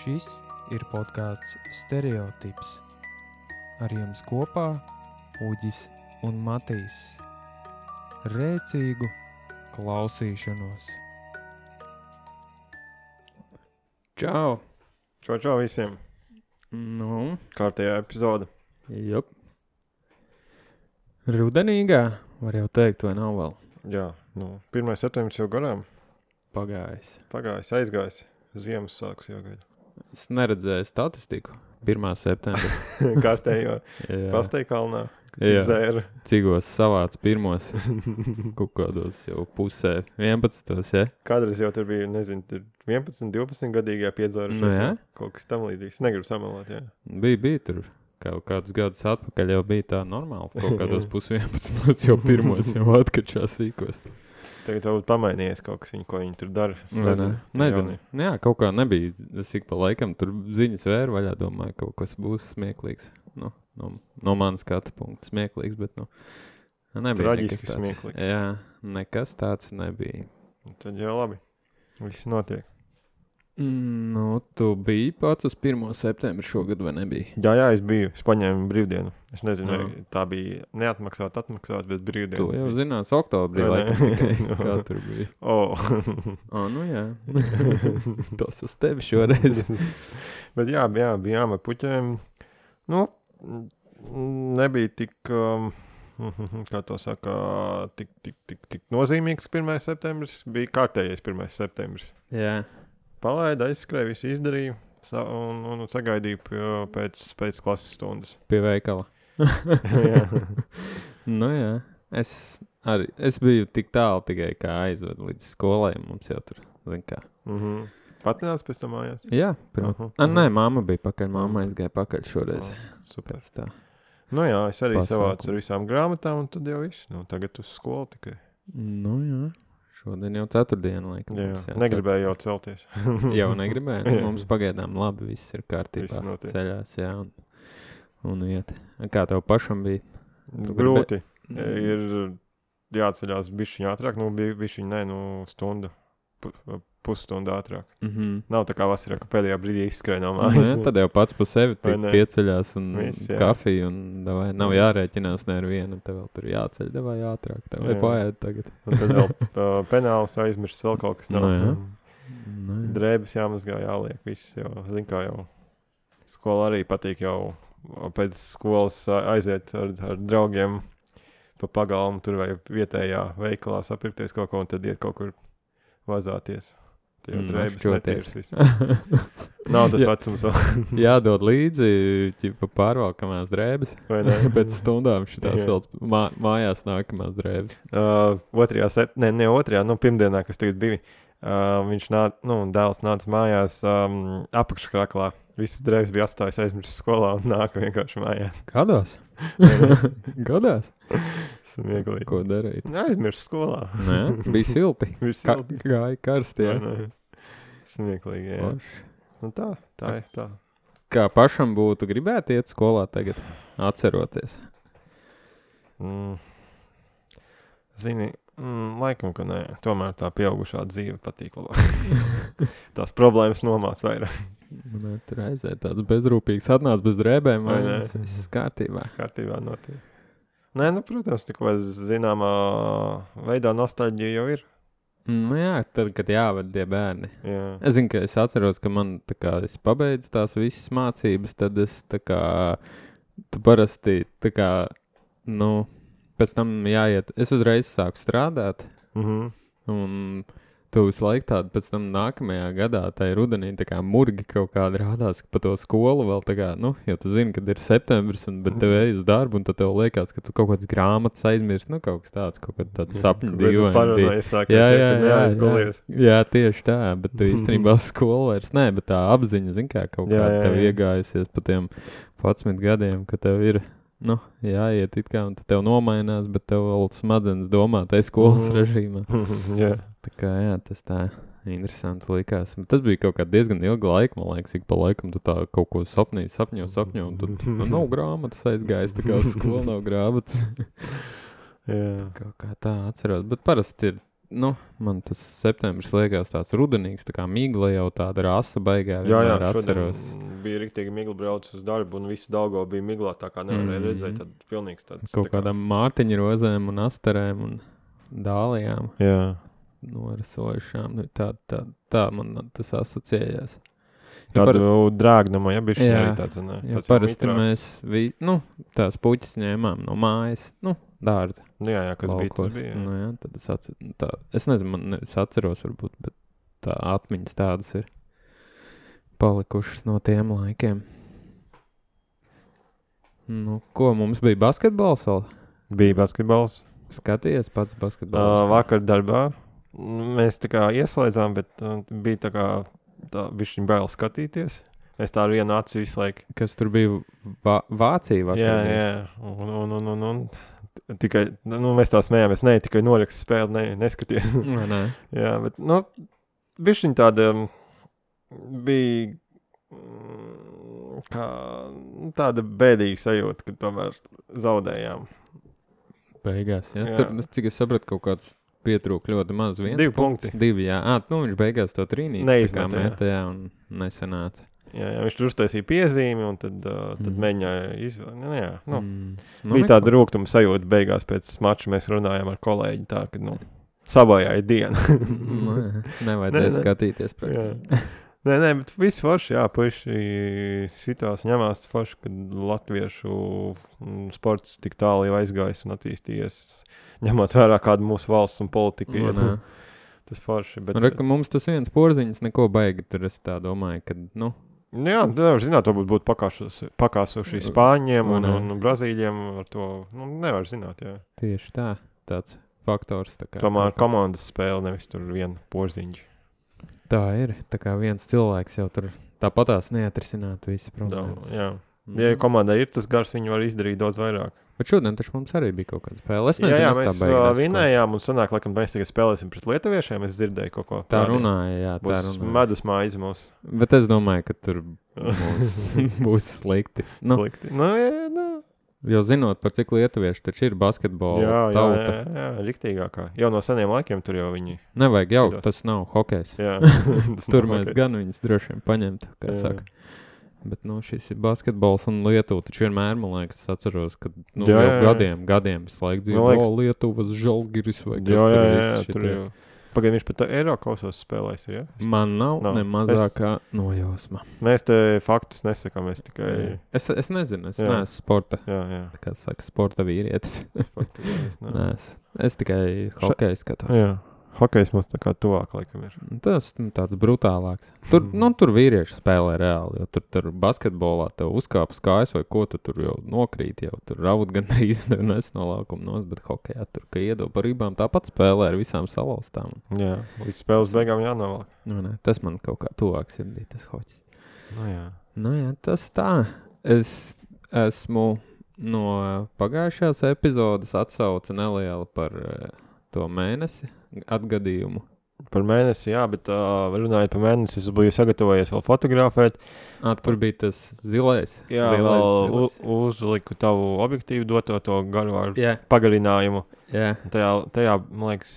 Šis ir podcasts Stereotips. Ar jums kopā Uģis un Matīs. Rēcīgu klausīšanos. Čau! Čau visiem! Nu, Kārtējā epizode. jup. Rudenīgā, var jau teikt, vai nav vēl Jā, 1. septembris jau garām. pagājis. Pagājis, aizgājis. Ziemassvētkus jau gaida. Es neredzēju statistiku 1. septembrī. Kārtējo Jā. Pasteikalnā, kad Jā. dzēra. Cigos savāc pirmos, kaut kādos jau pusē 11. Ja? Kādreiz jau tur bija, nezinu, tur 11, 12 gadīgajā piedzērušies. Nu jā. Kaut kas tam līdzīgs. Negribu samalot, jā. Bija tur. Kaut kādus gadus atpakaļ jau bija tā normāli. Kaut kādos 11. jau pirmos jau atkačās sīkos. Tagad varbūt pamainījies kaut kas, ko viņi tur dara. Nezinu. Jā, kaut kā nebija. Es ik pa laikam tur ziņas vēru vaļā, domāju, kaut kas būs smieklīgs. No manas skatu punkta smieklīgs, bet nebija Traģiski nekas tāds. smieklīgs. Jā, nekas tāds nebija. Tad jau labi. Viss notiek. Tu biji pats uz 1. septembri šogad vai nebija? Jā, es biju. Es paņēmu brīvdienu. Es nezinu, Jā. vai tā bija neatmaksāt, bet brīvdienu. Tu jau zinās oktobrī, Vai ne? laikam tikai, kā tur bija. Nu jā. Tas uz tevi šoreiz. Bet jā, bijām ar puķēm. Nebija tik, kā to saka, tik nozīmīgs 1. septembris. Bija kārtējais 1. septembris. Jā. Palaida, aizskrēja, visu izdarīju un sagaidīju pēc klases stundas. Pie veikala. Jā. Jā. Es biju tik tālu tikai kā aizvedu līdz skolai. Mums jau tur, zin kā. Patnās pēc tam mājās? Jā, protams. Nē, mamma bija pakaļ. Mamma aizgāja pakaļ šoreiz. Super. Pēc tā. Jā, es arī Pasākumu. savācu ar visām grāmatām, un tad jau viss. Tagad uz skolu tikai. Jā. Šodien jau 4. diena, laikam. Jā, mums negribēju jau celties. Jau negribēju. Mums pagaidām labi, viss ir kārtībā. Viss notiek. Ceļās, jā. Un iet. Kā tev pašam bija? Tu Grūti. Ir jāatceļās bišķiņ ātrāk, stundu, pusstundu ātrāk. Nav tā kā vasarā, ka pēdējā brīdī izskrēja no mājas. Tad jau pats pa sevi Vai tik ne? pieceļās un Viss, jā. kafiju un davai, nav jārēķinās ne ar vienu, tev vēl tur jāceļ, davai ātrāk, tev vai Jā. paiet tagad. Un tad vēl penāls aizmirst vēl kaut kas nav. Jā. Drēbes jāmazgā, jāliek, viss jau, zin kā jau. Skola arī patīk jau pēc skolas aiziet ar draugiem pa pagalmu, tur vai vietējā veikalā sapirkties kaut ko un tad iet kaut kur vazāties. Tie jau drēbes šķoties. netīrs viss. Nav tas Jā. vecums vēl. Jādod līdzi, ķipa pārvalkamās drēbes, Vai ne? pēc stundām šitās Jā. vēl mājās nākamās drēbes. Pirmdienā, kas tagad bija, viņš dēls nāca mājās apakškraklā. Visas drēbes bija atstājis aizmirst skolā un nāka vienkārši mājās. Gadās? Gadās? Smieklīgi. Ko darīt? Aizmirst skolā. Nē, bija silti. Bija silti. Gāja karsti, jā. Vai ne? Smieklīgi, jā. Forši. Nu tā ir tā. Kā pašam būtu gribēt iet skolā tagad, atceroties? Zini, laikam, ka nē. Tomēr tā pieaugušā dzīve patīk labāk. Tās problēmas nomāc vairāk. Tur aiziet tāds bezrūpīgs, atnāc bez drēbēm, Vai vai ne? viss kārtībā. Kārtībā notiek. Nē, protams, tik vai zināmā veidā nostalģija jau ir. Jā, tad, kad jāved tie bērni. Jā. Es zinu, ka es atceros, ka man, tā kā es pabeidzu tās visas mācības, tad es, tā kā, tu parasti, tā kā, pēc tam jāiet. Es uzreiz sāku strādāt, un tu visu laiku tādu pēc tam nākamajā gadā, tai rudenī, tā kā murgi kaut kādi rādās, ka pa to skolu vēl tā kā, jo tu zini, kad ir septembris, bet tev ej uz darbu, un tad tev liekas, ka tu kaut kādas grāmatas aizmirst, kaut kas tāds, kaut kāda tāda sapņa dīvaina bija. Jā, tieši tā, bet tu īstenībā skolu vairs nē, bet tā apziņa, zini kā, kaut kā tev iegājusies pa tiem 11 gadiem, ka tev ir, jāiet it kā, un tad tev nomainās, bet tev vēl smadzenes domā tai skolas režīmā. Jā. Tā kā, jā, tas tā interesanti likās. Tas bija kaut kā diezgan ilga laika, man liekas, ik pa laikam tu tā kaut ko sapņo, un tad nav grāmatas aizgājis, tā kā uz skolu nav grāmatas. Jā. Kaut kā tā atceros, bet parasti ir man tas septembris liekas tāds rudenīgs, tā kā migla jau tāda rasa baigā, vienmēr atceros. Bija riktīgi migla brauc uz darbu, un visu Daugo bija miglā, tā kā nevarēja redzēt, tad pilnīgs tāds. Kaut kādām mārtiņa rozēm un astarēm un dālijām. Jā. Norisojušām. Tā man tas asociējās. Tādu drāgnumu, ja bišķi arī tāds, ne? Jā, parasti mēs, tās puķis ņēmām no mājas, dārza. Jā, kas laukos. Bija, tas bija. Jā, tad es nezinu, es atceros varbūt, bet tā atmiņas tādas ir palikušas no tiem laikiem. Ko, mums bija basketbols vēl? Bija basketbols. Skaties pats basketbols? Vakar darbā. Mēs tā kā ieslēdzām, bet bija tā kā bišķiņ bail skatīties. Es tā ar vienu acu visu laiku. Kas tur bija Vācija vakar? Jā. Un tikai, mēs tā smējāmies, tikai noraksts spēli, neskaties. Nē. Jā, bet, bišķiņ tāda bija kā tāda bēdīga sajūta, kad tomēr zaudējām. Beigās, jā. Tur, cik es sapratu, kaut kāds pietrūk ļoti maz, 1 2 punkti. 2, jā. Viņš beigās to trīnīti tā kā metā, un nesanāca. Jā, viņš tur uztaisīja piezīmi, un tad mēģināja izvēlēt. Bija tāda rūgtuma sajūta beigās pēc mača, mēs runājām ar kolēģi tā, ka, sabojāja dienu. Nevajadzēja skatīties praktiski. Nē, bet viss forši, puiši sitās ņemās forši, kad latviešu sports tik tālu jau aizgājis un attīstījies, ņemot vērā kādu mūsu valsts un politiku. Tas forši. Bet... mums tas viens porziņas neko baigi, tur es tā domāju, ka, Jā, nevar zināt, varbūt pakāsuši Spāņiem un Brazīļiem ar to, nevar zināt, jā. Tieši tā, tāds faktors. Tā kā tomēr komandas spēle, nevis tur viena porziņa. Tā ir, tā kā viens cilvēks jau tur tāpatās neatrisinātu visi problēmas. Jā. Ja komandai ir tas gars, viņi var izdarīt daudz vairāk. Bet šodien taču mums arī bija kaut kāda spēle. Es nezinu, mēs vinējām un sanāk, laikam, mēs tagad spēlēsim pret lietuviešiem, es dzirdēju kaut ko. Tā runāja, būs medus mājas mūs. Bet es domāju, ka tur būs slikti. Slikti. Jo zinot, par cik lietuvieši taču ir basketbola tauta. Jā, riktīgākā. Jau no seniem laikiem tur jau viņi... Nevajag jau, tas nav hokejs. Jā. Tur mēs gan viņus droši vien paņemtu, kā saka. Bet, šis ir basketbols un Lietuva, taču vienmēr, man liekas, es atceros, ka, jau gadiem visu laiku dzīvo, Lietuvas Žalgiris vai kas tur viss šitie. Tur jau. Pagaid, viņš pat Eirokausos spēlēs, ja? Man nav ne mazākā nojausma. Mēs te faktus nesakām, mēs tikai... Es nezinu, es neesmu sporta. Jā. Tā kā saka, sporta vīrietis. Sporta vīrietis, es tikai hokeju skatos. Jā. Hokejs mums tā kā tuvāk, laikam, ir. Tas tāds brutālāks. Tur vīrieši spēlē reāli, jo tur basketbolā tev uzkāpas kājas vai ko, tur jau nokrīt, jau tur raud gan drīz nes no laukuma nos, bet hokejā tur, ka iedod par rībām, tāpat spēlē ar visām salauztām. Jā, līdz spēles beigām jānovalk. Tas man kaut kā tuvāk sirdī, tas hoķis. Jā, tas tā. Es esmu no pagājušās epizodes atsauca neliela par to mēnesi atgadījumu. Par mēnesi, jā, bet runājot par mēnesi, es biju sagatavojies vēl fotografēt. Tur bija tas zilais. Jā, vēl uzliku tavu objektīvu doto to garu ar pagarinājumu. Jā. Tajā, man liekas,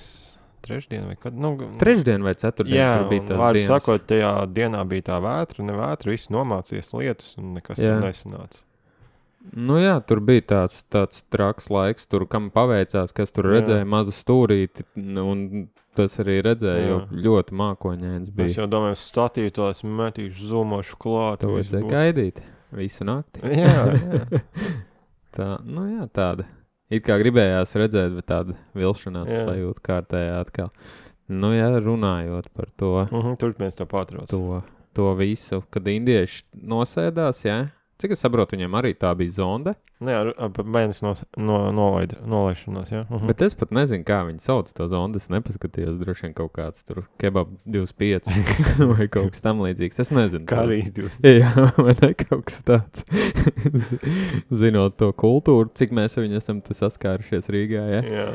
trešdien vai kad? Trešdien vai ceturtdien tur bija tās dienas. Jā, sakot, tajā dienā bija tā vētra, ne vētra, visi nomācies lietus un nekas tur nesanāca. Jā, tur bija tāds traks laiks, tur kam paveicās, kas tur redzēja mazu stūrīti, un tas arī redzēja, jo ļoti mākoņains bija. Es jau domāju, statīju tos metīšu, zūmošu klāt. To vajadzēja gaidīt visu nakti. Jā. Tāda. It kā gribējās redzēt, bet tāda vilšanās sajūta kārtējā atkal. Runājot par to. Turpinies to pārtrauc. To visu, kad indieši nosēdās, Cik es saprotu, viņiem arī tā bija zonde? Mēnesis nolaišanās, jā. Bet es pat nezinu, kā viņi sauc to zondu. Es nepaskatījos, droši vien kaut kāds tur kebab 25 vai kaut kas tam līdzīgs. Es nezinu. Kā arī 25. Jā, vai ne kaut kas tāds. Zinot to kultūru, cik mēs viņu esam saskārušies Rīgā, Jā.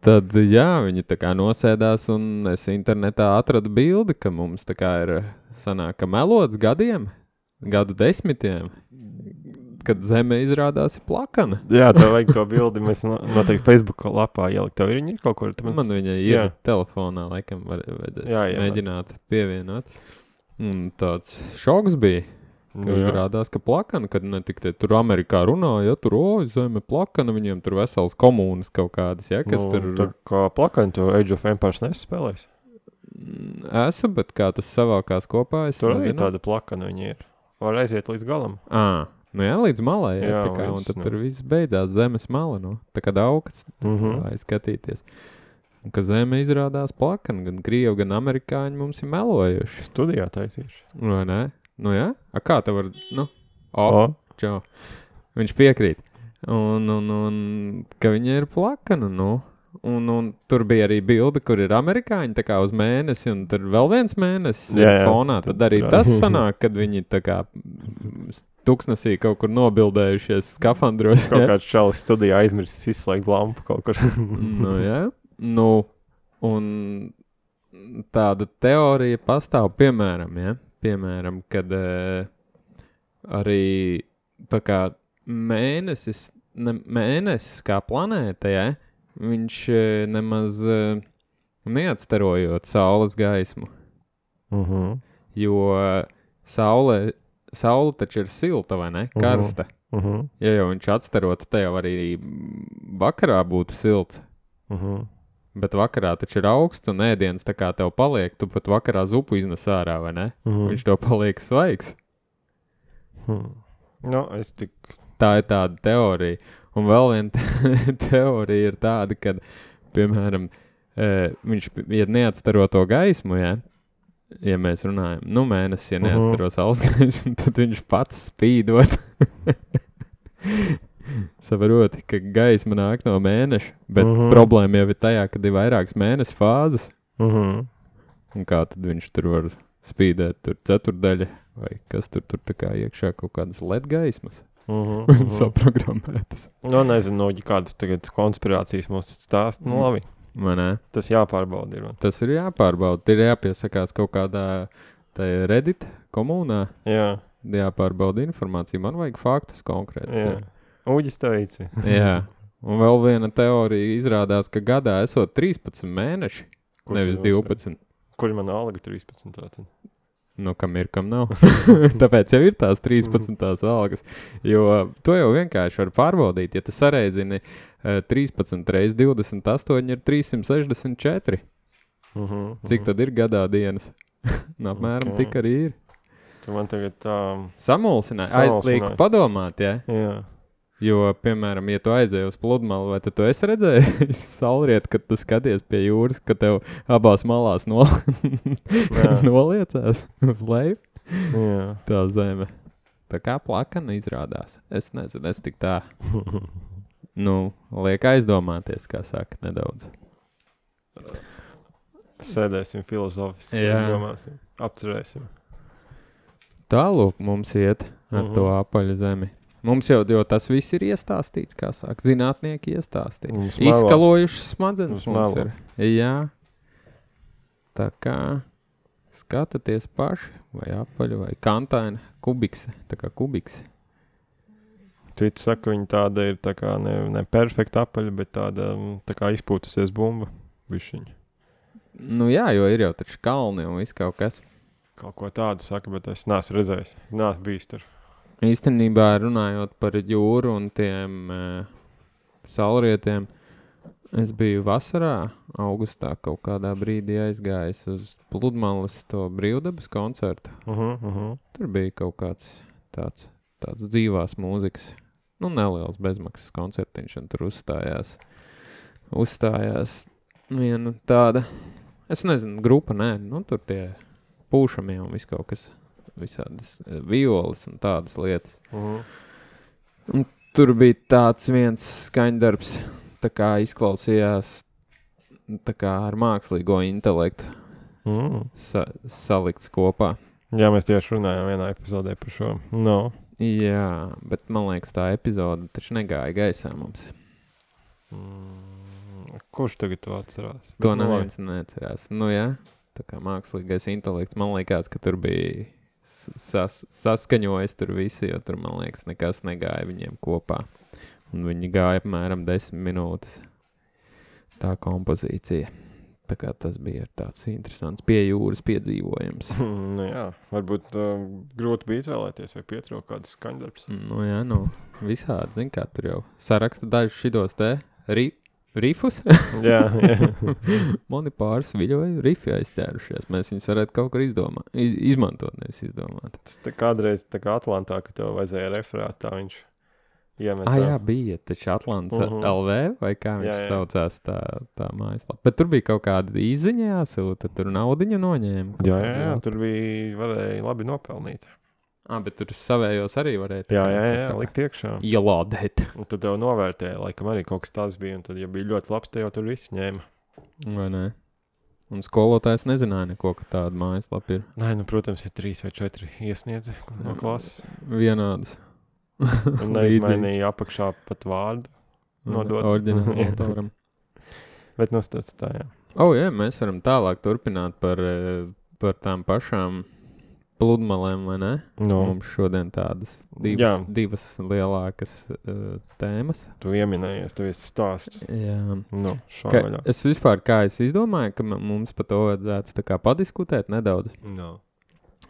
Tad, viņi tā kā nosēdās, un es internetā atradu bildi, ka mums tā kā ir sanāk, ka melots gadu desmitiem, kad Zeme izrādās plakana. Jā, tev vajag to bildi, mēs noteikti Facebook lapā ielikt. Tev ir viņa kaut kur? Man viņa ir telefonā, laikam vajadzēs mēģināt pievienot. Un tāds šoks bija, ka izrādās, ka plakana, kad ne tik te tur Amerikā runāja, tur, Zeme plakana, viņiem tur vesels komūnas kaut kādas, kas tur... Tā kā plakana, tu Age of Empires nespēlēs? Esmu, bet kā tas savākās kopā, es tur nezinu. Tur arī tāda plakana viņi ir. Var aiziet līdz galam. Nu jā, līdz malai, tā kā, un tad tur viss beidzās Zemes mala, tā kā daudz aizskatīties. Un ka Zeme izrādās plakana, gan Krievi, gan amerikāņi mums ir melojuši. Studijā taisīši. Vai ne? Nu jā? Kā tev var, čau. Viņš piekrīt. Un ka viņa ir plakana, Un tur bija arī bilde, kur ir amerikāņi tā kā uz mēnesi, un tur vēl viens mēnesis ir fonā. Tad arī tas sanāk, kad viņi tā kā tuksnesī kaut kur nobildējušies skafandros. Kaut kāds šalis studijā aizmirsis izslēgt lampu kaut kur. Un tāda teorija pastāv, piemēram, kad arī tā kā mēnesis kā planēta, viņš nemaz neatstarojot saules gaismu, jo saule taču ir silta, vai ne? Karsta. Ja jau viņš atstarot, te jau arī vakarā būtu silts. Bet vakarā taču ir augsts un ēdiens tā kā tev paliek, tu pat vakarā zupu iznes ārā, vai ne? Viņš tev paliek svaigs. Tā ir tāda teorija. Un vēl viena teorija ir tāda, kad, piemēram, viņš, ja neatstaro to gaismu, ja mēs runājam, mēnesis, ja neatstaro saules gaismu, tad viņš pats spīdot. Saproti, ka gaisma nāk no mēneša, bet problēma jau ir tajā, kad ir vairākas mēnesis fāzes. Un kā tad viņš tur var spīdēt, tur ceturdaļa, vai kas tur tā kā iekšā kaut kādas LED gaismas? Saprogrammētas. Nezinu, kādas tagad konspirācijas mums stāst. Labi. Tas jāpārbauda ir. Tas ir jāpārbauda. Ir jāpiesakās kaut kādā Reddit komunā. Jāpārbauda informācija. Man vajag faktus konkrētus. Uģis teici. Un vēl viena teorija izrādās, ka gadā esot 13 mēneši, nevis 12. Kur man alga 13 tātad? Kam ir, kam nav. Tāpēc jau ir tās 13 algas. Jo to jau vienkārši var pārbaudīt. Ja tu sareizini 13 reiz 28 ir 364. Cik tad ir gadā dienas? Apmēram tik arī ir. Tu man tagad tā... Samulsināji. Lieku padomāt, Jā. Jo, piemēram, ja tu aizēji uz pludmali, vai tad tu esi redzējis saulriet, kad tu skaties pie jūras, ka tev abās malās noliecās uz leju? Tā Zeme. Tā kā plakana izrādās. Es nezinu, es tik tā, liek aizdomāties, kā saka, nedaudz. Sēdēsim filozofiski, domāsim, apcerēsim. Tālūk mums iet ar to apaļu Zemi. Mums jau tas viss ir iestāstīts, kā saka, zinātnieki iestāstīja. Izskalojušas smadzenes mums ir. Jā. Tā kā skatāties paši, vai apaļu, vai kantaina, kubikse, tā kā kubikse. Citi saka, viņa tāda ir tā kā ne perfekta apaļa, bet tāda tā kā izpūtusies bumba bišķiņa. Jā, jo ir jau taču kalni un viss kaut kas. Kaut ko tādu saka, bet es neesmu redzējis. Neesmu bijis tur. Īstenībā runājot par jūru un tiem saulrietiem, es biju vasarā, augustā kaut kādā brīdī aizgājis uz pludmales to brīvdabas koncertu. Tur bija kaut kāds tāds dzīvās mūzikas, neliels bezmaksas koncertiņš, un tur uzstājās viena tāda, es nezinu, grupa, tur tie pūšamie un viss kaut kas. Visādas violas un tādas lietas. Un tur bija tāds viens skaņdarbs, tā kā izklausījās tā kā ar mākslīgo intelektu salikts kopā. Jā, mēs tieši runājām vienā epizodē par šo. Jā, bet man liekas tā epizode taču negāja gaisā mums. Kurš tagad to atcerās? To neviens neatcerās. Jā, tā kā mākslīgais intelekts, man liekas, ka tur bija saskaņojas tur visi, jo tur, man liekas, nekas negāja viņiem kopā. Un viņi gāja apmēram 10 minūtes tā kompozīcija. Tā kā tas bija tāds interesants pie jūras piedzīvojums. Nu jā, varbūt grūti bija izvēlēties vai pietrūka kāds skaņdarbs. Nu jā, visādi, zin kā, tur jau saraksta dažus šitos te rifus. Jā. Mani pāris viļoju rifi aizķērušies. Mēs viņus varētu kaut kur izmantot, nevis izdomāt. Tas tā kādreiz tā kā Atlantā, ka tev vajadzēja referāt, tā viņš iemetā. Jā, bija taču Atlants LV, vai kā viņš saucās tā mājaslapa. Bet tur bija kaut kāda izziņa jāsūta, tur naudiņu noņēma. Jā, tur varēja labi nopelnīt. Bet tur savējos arī varēja. Jā, likt iekšā. Ielādēt. Un tad tev novērtēja, laikam arī kaut kas tāds bija, un tad, ja bija ļoti labs, te jau tur viss ņēma. Vai ne? Un skolotājs nezināja neko, ka tāda mājaslapa ir. Nē, protams, ir 3 vai 4 iesniedzi no klases. Vienādas. Un neizmainīja apakšā pat vārdu nodot. Orģinālu autoram. Bet nostāds tā, jā. Jā, mēs varam tālāk turpināt par tām pašām pludmalēm, vai ne? No. Mums šodien tādas divas lielākas tēmas. Tu ieminējies, tu esi stāsts. Jā. No, šāvaļā. Es vispār, kā es izdomāju, ka mums par to vajadzētu tā kā padiskutēt nedaudz. No.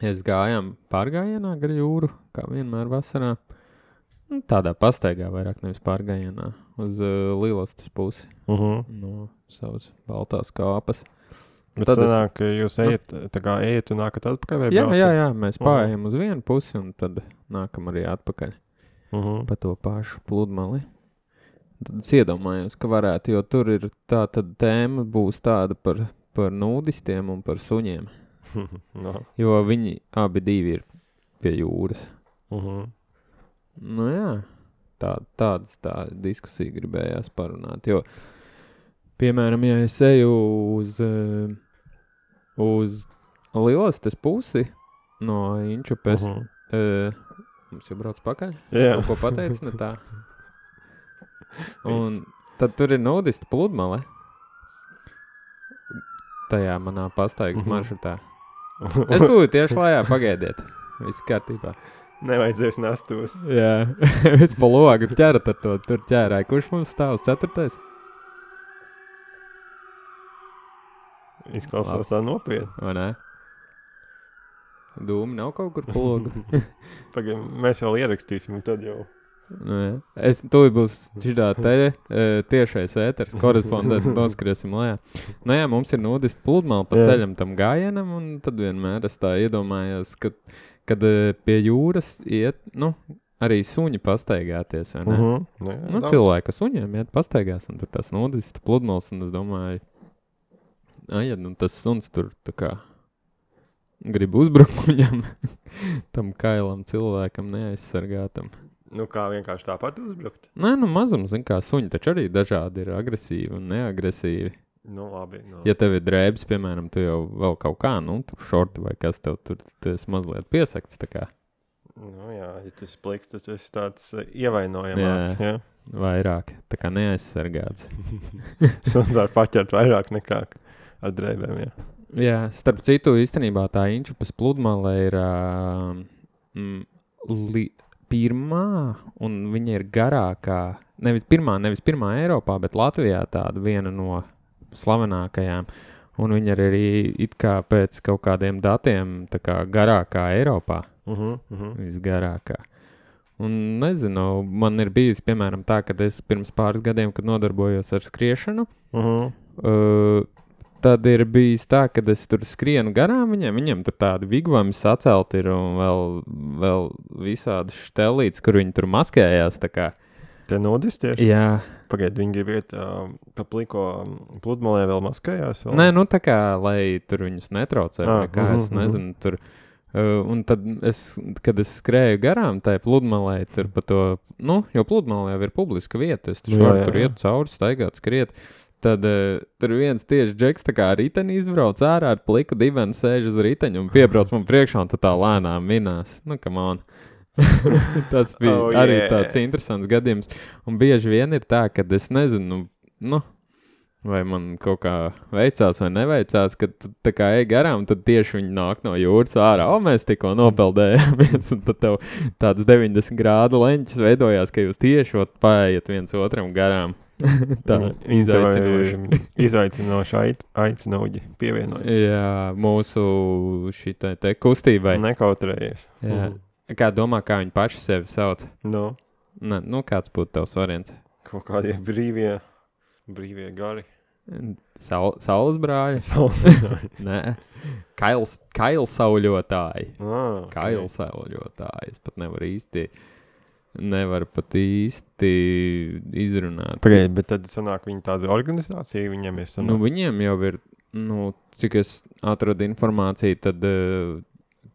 Es gājām pārgājienā gar jūru, kā vienmēr vasarā. Tādā pastaigā vairāk nevis pārgājienā, uz Lielostas pusi. No savas baltās kāpas. Bet tad sanāk, ka jūs ejat un nākat atpakaļ vai braucat? Jā, mēs pārējām uz vienu pusi un tad nākam arī atpakaļ pa to pašu pludmali. Tad es iedomājos, ka varētu, jo tur ir tā tad tēma būs tāda par nūdistiem un par suņiem. No. Jo viņi abi divi ir pie jūras. Nu jā, tā diskusija gribējās parunāt, jo, piemēram, ja es eju uz Lielostas pusi no Inčupes, mums jau brauc pakaļ, es kaut ko pateicu, ne tā. Un tad tur ir nudista pludmale, tajā manā pastaigas maršrutā. Es tūlīt tieši lejā, pagaidiet, viss kārtībā. Nevajadzēs nastos. Jā, es pa logu ķerat ar to, tur ķērāju. Kurš mums stāv uz 4? Izklausās tā nopietni. Vai ne? Dūmi nav kaut kur pa logu. Pagaid, mēs vēl ierakstīsim, un tad jau. Nu, jā. Es tūlīt būs šitā tiešais ēters, korespondēt, noskriesim lejā. Nu jā, mums ir nudist pludmali pa ceļam tam gājienam, un tad vienmēr es tā iedomājos, kad pie jūras iet, arī suņi pastaigāties, vai ne? Cilvēki suņiem iet pastaigās, un tur tās nudist pludmals, un es domāju, tas suns tur tā kā grib uzbrukt viņam, tam kailam cilvēkam neaizsargātam. Kā vienkārši tāpat uzbrukt? Nē, mazums, kā suņi, taču arī dažādi ir agresīvi un neagresīvi. Labi. Ja tev ir drēbes, piemēram, tu jau vēl kaut kā, tur šorti vai kas tev tur, tu esi mazliet piesakts, tā kā. Jā, ja tu esi pliks, tas esi tāds ievainojamāks, jā. Vairāk, tā kā neaizsargāts. Suns var paķert vairāk nekā ar drēbēm, jā. Jā, starp citu, īstenībā tā Inčupas pludmale ir pirmā, un viņa ir garākā, nevis pirmā Eiropā, bet Latvijā tāda viena no slavenākajām, un viņa arī it kā pēc kaut kādiem datiem tā kā garākā Eiropā, visgarākā. Un nezinu, man ir bijis, piemēram, tā, kad es pirms pāris gadiem, kad nodarbojos ar skriešanu, tad ir bijis tā, kad es tur skrienu garām viņiem tur tādi vigvami sacelt ir un vēl visādi štelītes, kur viņi tur maskējās, tā kā. Te nudistieši? Jā. Pagaid, viņi grib iet pa pliko pludmalē vēl maskējās? Vēl? Nē, tā kā, lai tur viņus netraucē, vai kā, es nezinu, tur. Un tad kad es skrēju garām tai pludmalē, tur pa to, jo pludmalē jau ir publiska vieta, es varu tur iet cauri, staigāt, skriet, tad tur viens tieši džeks tā kā riteni izbrauc ārā ar pliku dibeni, sēž uz riteņu un piebrauc man priekšā un tā lēnām minās. Come on. Tas bija arī tāds interesants gadījums. Un bieži vien ir tā, kad es nezinu, vai man kaut kā veicās vai neveicās, kad tu tā kā ej garām, tad tieši viņi nāk no jūras ārā. Mēs tikko nopeldējāmies, un tad tev tāds 90 grādu leņķis veidojās, ka jūs tieši paējiet viens otram garām. Tā izaicinoši. Izaicinoši aicinoģi pievienojas. Jā, mūsu šitai te kustībai. Nekautrējies. Jā. Kā domā, kā viņi paši sevi sauc? No. Ne, nu, kāds būtu tavs variants? Kaut kādie brīvie gari. Saules brāļi? Nē. Kailsauļotāji. Kailsauļotāji. Es pat nevaru pat īsti izrunāt. Pagaid, bet tad sanāk viņi tāda organizācija, viņiem ir sanāk? Nu, viņiem jau ir, cik es atradu informāciju, tad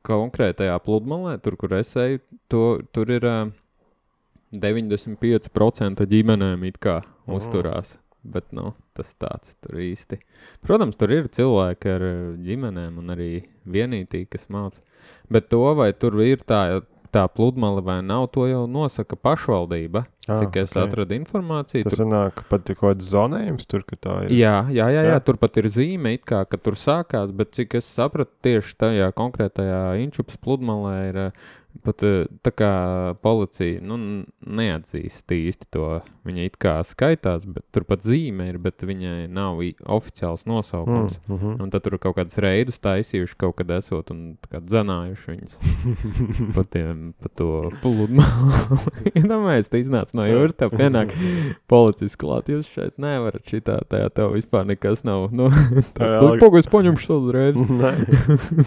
konkrētajā pludmalē, tur, kur es eju, tur ir 95% ģimenēm it kā uzturās. Bet, tas tāds tur īsti. Protams, tur ir cilvēki ar ģimenēm un arī vienītī, kas māca. Bet to, vai tur ir tā pludmale vai nav, to jau nosaka pašvaldība. Cik es atradu informāciju. Tas sanāk pat kaut kāds zonējums tur, ka tā ir. Jā, tur pat ir zīme it kā, ka tur sākās, bet cik es sapratu, tieši tajā konkrētajā Inčupas pludmalē ir pat tā kā policija, neatzīst īsti to. Viņa it kā skaitās, bet tur pat zīme ir, bet viņai nav oficiāls nosaukums. Un tad tur kaut kādas reidus taisījuši kaut kad esot un tā kā dzanājuši viņus pa to pludmali. Domāju, tu iznāc no jūras, tev pienāk policists klāt, jūs šeit nevarat šitā, tev vispār nekas nav. Pogu, es paņemšu savu uzreiz.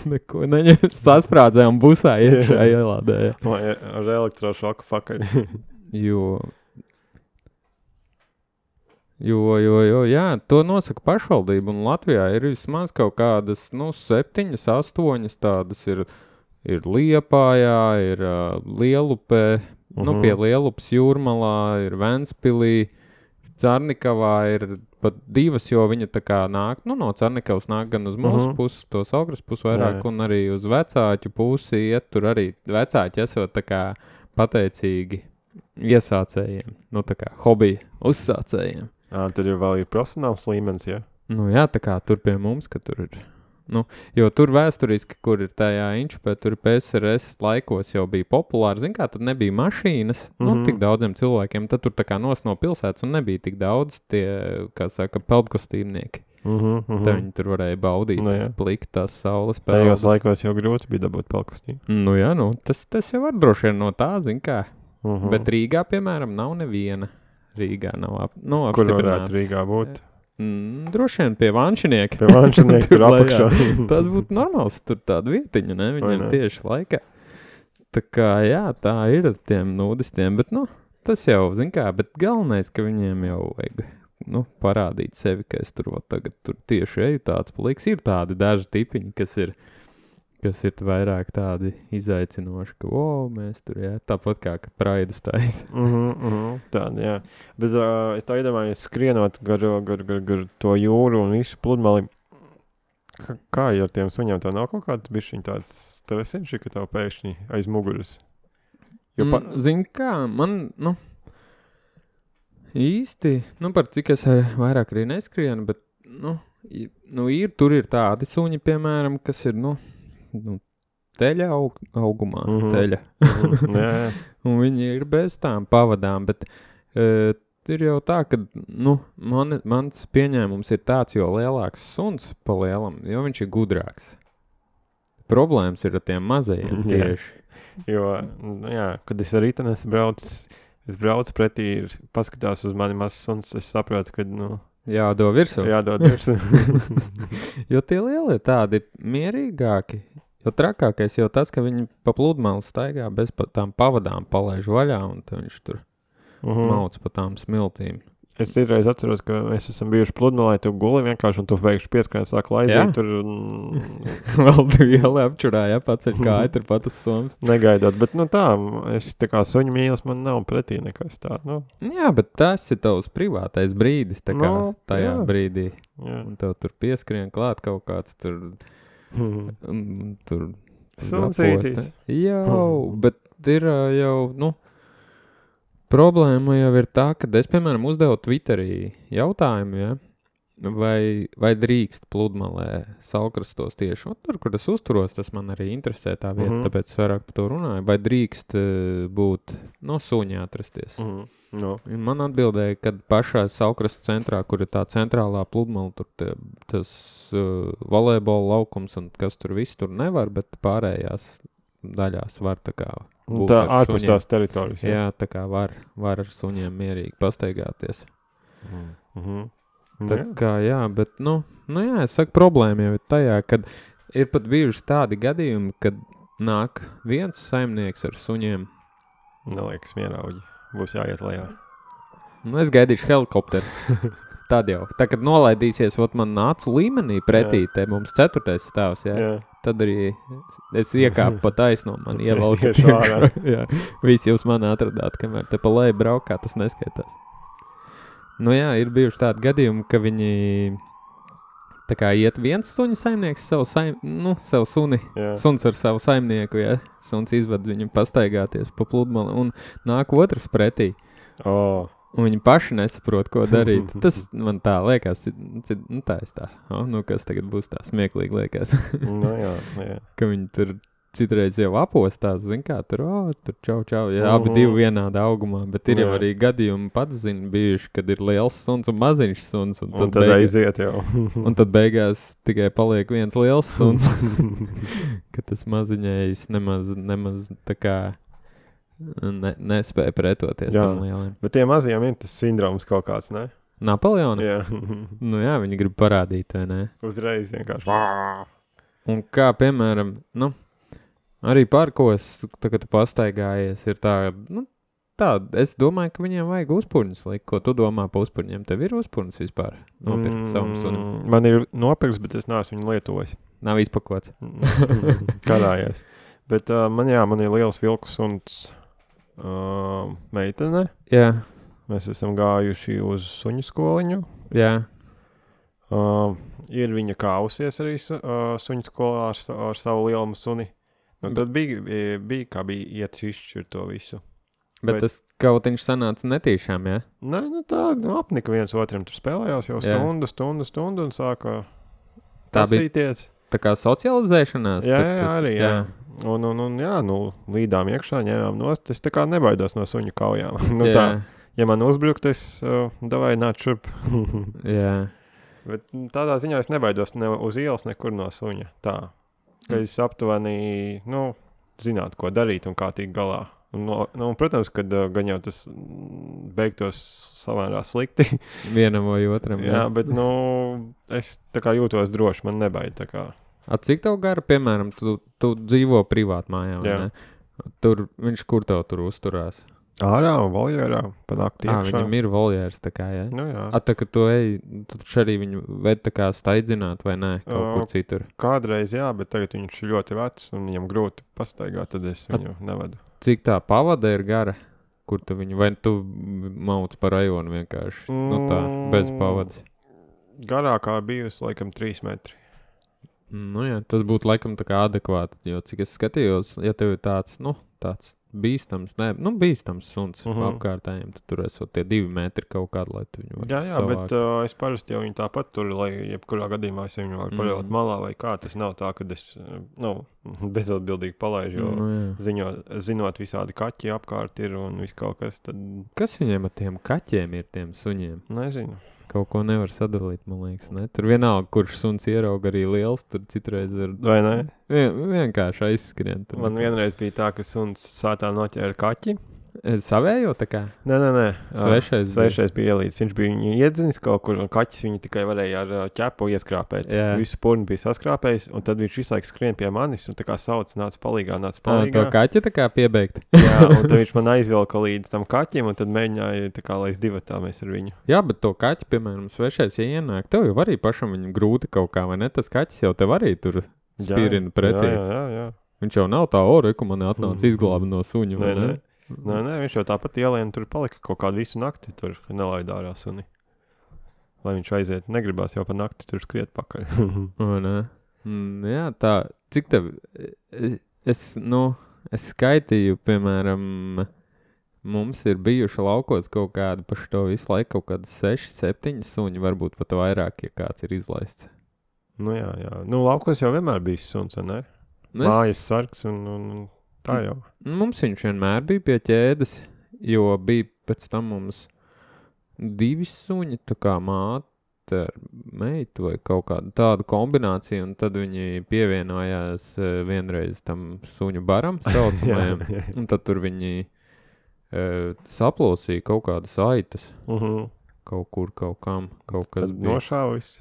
Neko neņem, sasprādzējām busā iekšā ielādēja. Vai ar elektrošoku pakaļ. Jo, jā, to nosaka pašvaldība, un Latvijā ir vismaz kaut kādas, 7, 8 tādas ir Liepājā, ir Lielupē, pie Lielupas Jūrmalā, ir Ventspilī, Carnikavā ir pat 2, jo viņa tā kā nāk, no Carnikavas nāk gan uz mūsu pusi, to Saugras pusi vairāk, un arī uz vecāķu pusi iet, tur arī vecāķi esot tā kā pateicīgi iesācējiem, tā kā hobija uzsācējiem. Tad ir vēl profesionāls līmenis, ja? Jā, tā kā tur pie mums, ka tur ir. Jo tur vēsturiski, kur ir tajā Inčupē, tur PSRS laikos jau bija populāri, zin kā, tad nebija mašīnas, tik daudziem cilvēkiem, tad tur tā kā nos no pilsētas un nebija tik daudz tie, kā saka, peldkostīmnieki. Tad viņi tur varēja baudīt, plikt tās saules peldas. Tajos laikos jau grūti bija dabūt peldkostīmu. Tas jau var droši vien no tā, zin kā. Bet Rīgā, piemēram, nav neviena. Rīgā nav apstiprināts. Kur varētu Rīgā būt? Droši vien pie Vanšinieka. Pie Vanšinieka tur apakšā. Tas būtu normāls, tur tāda vietiņa, ne? Viņiem tieši laikā. Tā kā, jā, tā ir ar tiem nudistiem, bet, tas jau, zin kā, bet galvenais, ka viņiem jau vajag, parādīt sevi, ka es tur tagad tur tieši eju tāds pliks. Ir tādi daži tipiņi, kas ir vairāk tādi izaicinoši, ka, mēs tur, jā, tāpat kā praidus taisa. Tāda, jā. Bet es tā iedomājos, skrienot gar to jūru un visu pludmali, kā ar tiem suņiem, tā nav kaut kāds bišķiņ tāds stresiņš, ka tev pēkšņi aiz muguras? Zin kā, man, īsti, par cik es vairāk arī neskrienu, bet, tur ir tādi suņi, piemēram, kas ir, teļa augumā, teļa. Un viņi ir bez tām pavadām, bet ir jau tā, ka, mans pieņēmums ir tāds, jo lielāks suns pa lielam, jo viņš ir gudrāks. Problēmas ir ar tiem mazajiem tieši. Jo, kad es ar ritenes braucu pretī, paskatās uz mani mazs suns, es saprotu, ka, Jādod virsū. Jo tie lielie tādi ir mierīgāki. Jo trakākais jau tas, ka viņi pa pludmali staigā bez tām pavadām palaiž vaļā, un viņš tur mauc pa tām smiltīm. Es citreiz atceros, ka mēs esam bijuši pludmalē, tu guli vienkārši, un tu veikši pieskrien sāk laizīt tur. Vēl tu ielē apčurāja, paceļ kāja, tur pat uz somas. Negaidot, bet tā, es tā kā suņu mīlas, man nav pretī nekas tā, Jā, bet tas ir tavs privātais brīdis, tā kā tajā brīdī. Un tev tur pieskrien klāt kaut kāds tur Sunsītis. Bet ir jau, problēma jau ir tā, ka es, piemēram, uzdevu Twitterī jautājumu, vai drīkst pludmalē saulkrastos tieši, un tur, kur es uzturos, tas man arī interesē tā vieta, tāpēc vairāk par to runāju, vai drīkst būt, suņi atrasties. No. Man atbildēja, kad pašā saulkrastu centrā, kur ir tā centrālā pludmala, tur tas volejbola laukums un kas tur viss tur nevar, bet pārējās daļās var tā kā būt tā ar ārpus suņiem. tās teritorijas. Jā, tā kā var ar suņiem mierīgi pastaigāties. Tā kā, jā, bet, jā, es saku, problēma jau ir tajā, kad ir pat bijuši tādi gadījumi, kad nāk viens saimnieks ar suņiem. Neliekas mierauģi. Būs jāiet lejā. Es gaidīšu helikopteru. Tad jau. Tā, kad nolaidīsies, man nācu līmenī pretī, te mums 4. stāvs, jā. Tad arī es iekāpu pa taisno, man ievalka. Jā, visi jūs mani atradāt, kamēr te pa leju braukā, tas neskaitās. Jā, ir bijuši tādi gadījumi, ka viņi tā kā iet viens suņa saimnieks savu suni, suns ar savu saimnieku, jā, suns izved viņu pastaigāties pa pludmali un nāk otrs pretī. Un viņi paši nesaprot, ko darīt. Tas man tā liekas, kas tagad būs tā smieklīgi liekas. Jā. Ka viņi tur citreiz jau apostās, kā tur čau, jā, abi divi vienāda augumā, bet ir jau arī gadījumi pats bijuši, kad ir liels suns un maziņš suns. Un tad aiziet jau. Un tad beigās tikai paliek viens liels suns, ka tas maziņais nemaz tā kā nespēja pretoties tam lieliem. Bet tie mazajiem ir tas sindroms kaut kāds, ne? Napoleona? Jā. Jā, viņi grib parādīt, vai ne? Uzreiz vienkārši. Un kā, piemēram, arī parkos, kad tu pastaigājies, ir tā, es domāju, ka viņiem vajag uzpurņus likt. Ko tu domā pa uzpurņiem? Tev ir uzpurņus vispār nopirkt savam sunim? Man ir nopirks, bet es neesmu viņu lietojis. Nav izpakots. Karājies. Bet man ir liels vilku suns meitene. Jā. Mēs esam gājuši uz suņu skoliņu. Jā. Ir viņa kāvusies arī suņu skolā ar savu lielumu suni. Tad bija iet izšķirt to visu. Bet tas kautiņš sanāca netīšām, jā? Nē, apnika viens otram tur spēlējās jau stundu un sāka pasīties. Tā kā socializēšanās? Jā, arī, jā. Un līdām iekšā ņēmām nost. Es tā kā nebaidos no suņu kaujām. Tā, ja man uzbrukt, es davai nāc šurp. Jā. Bet tādā ziņā es nebaidos ne uz ielas nekur no suņa. Tā. Ka es aptuveni, zinātu, ko darīt un kā tikt galā. Un, protams, kad gan jau tas beigtos savārā slikti. Vienam vai otram. Jā, bet, es tā kā jūtos droši, man nebaid tā kā. Cik tev gara, piemēram, tu dzīvo privāt mājā, vai ne? Tur, viņš kur tev tur uzturās? Ārā un voljērā, pa nakti iekšā. Viņam ir voljērs tā kā, jā? Jā. Tā, ka tu arī viņu ved tā kā staidzināt, vai nē, kaut kur citur? Kādreiz jā, bet tagad viņš ir ļoti vecs un viņam grūti pastaigāt, tad es viņu nevedu. Cik tā pavada ir gara? Kur tu viņu, vai tu mauc pa rajonu vienkārši? Tā, bez pavadas. Garākā bijusi, laikam, 3 metri. Jā, tas būtu laikam tā kā adekvāti, jo cik es skatījos, ja tev ir tāds bīstams, bīstams suns apkārtējiem, tad tur esot tie 2 metri kaut kādu, lai tu viņu var savākt. Bet es parasti jau viņu tāpat tur, lai jebkurā gadījumā es viņu varu palielot malā vai kā, tas nav tā, kad es, bezatbildīgi palaižu, jo zinot visādi kaķi apkārt ir un viss kaut kas, tad... Kas viņiem ar tiem kaķiem ir, tiem suņiem? Nezinu. Kaut ko nevar sadalīt, man liekas, ne? Tur vienalga, kurš suns ierauga arī liels, tur citreiz ir... Vai ne? Vienkārši aizskrien. Tur. Man vienreiz bija tā, ka suns sātā noķēra kaķi. Savējo tā kā? Nē. Svešais bija ielīdz. Viņš bija viņu iedzinis kaut kur, un kaķis viņu tikai varēja ar ķepu ieskrāpēt. Jā. Visu purni bija saskrāpējis, un tad viņš visu laiku skrien pie manis, un tā kā sauc, nāc palīgā. To kaķi tā kā piebeigt? Jā, un tad viņš man aizvilka līdz tam kaķim, un tad mēģināja tā kā, lai es divatā mēs ar viņu. Jā, bet to kaķi, piemēram, svešais, ja ienāk, tev jau arī pašam viņu grūti kaut kā, vai ne? Tas kaķis jau tev arī tur spīrina pretī. Jā. Viņš jau nav tā reku, man atnāca izglāba no suņu, vai ne? Nē, viņš jau tāpat ielien tur palika kaut kādu visu nakti, tur nelaidā ārā suni. Lai viņš aiziet, negribās jau pa nakti tur skriet pakaļ. Nē. Jā, tā, cik tev, es skaitīju, piemēram, mums ir bijuši laukos kaut kādi paši to visu laiku, kaut kādi 6, 7 suņi, varbūt pat vairāk, ja kāds ir izlaists. Nu jā. Nu, laukos jau vienmēr bijis suns, vai ne? Mājas sargs un tā jau. Mums viņš vienmēr bija pie ķēdes, jo bija pēc tam mums 2 suņi, tā kā māte ar meitu vai kaut kādu tādu kombināciju, un tad viņi pievienojās vienreiz tam suņu baram saucamajam, un tad tur viņi saplosīja kaut kādas aitas, kaut kur, kaut kam, kaut kas tad bija. nošāvis?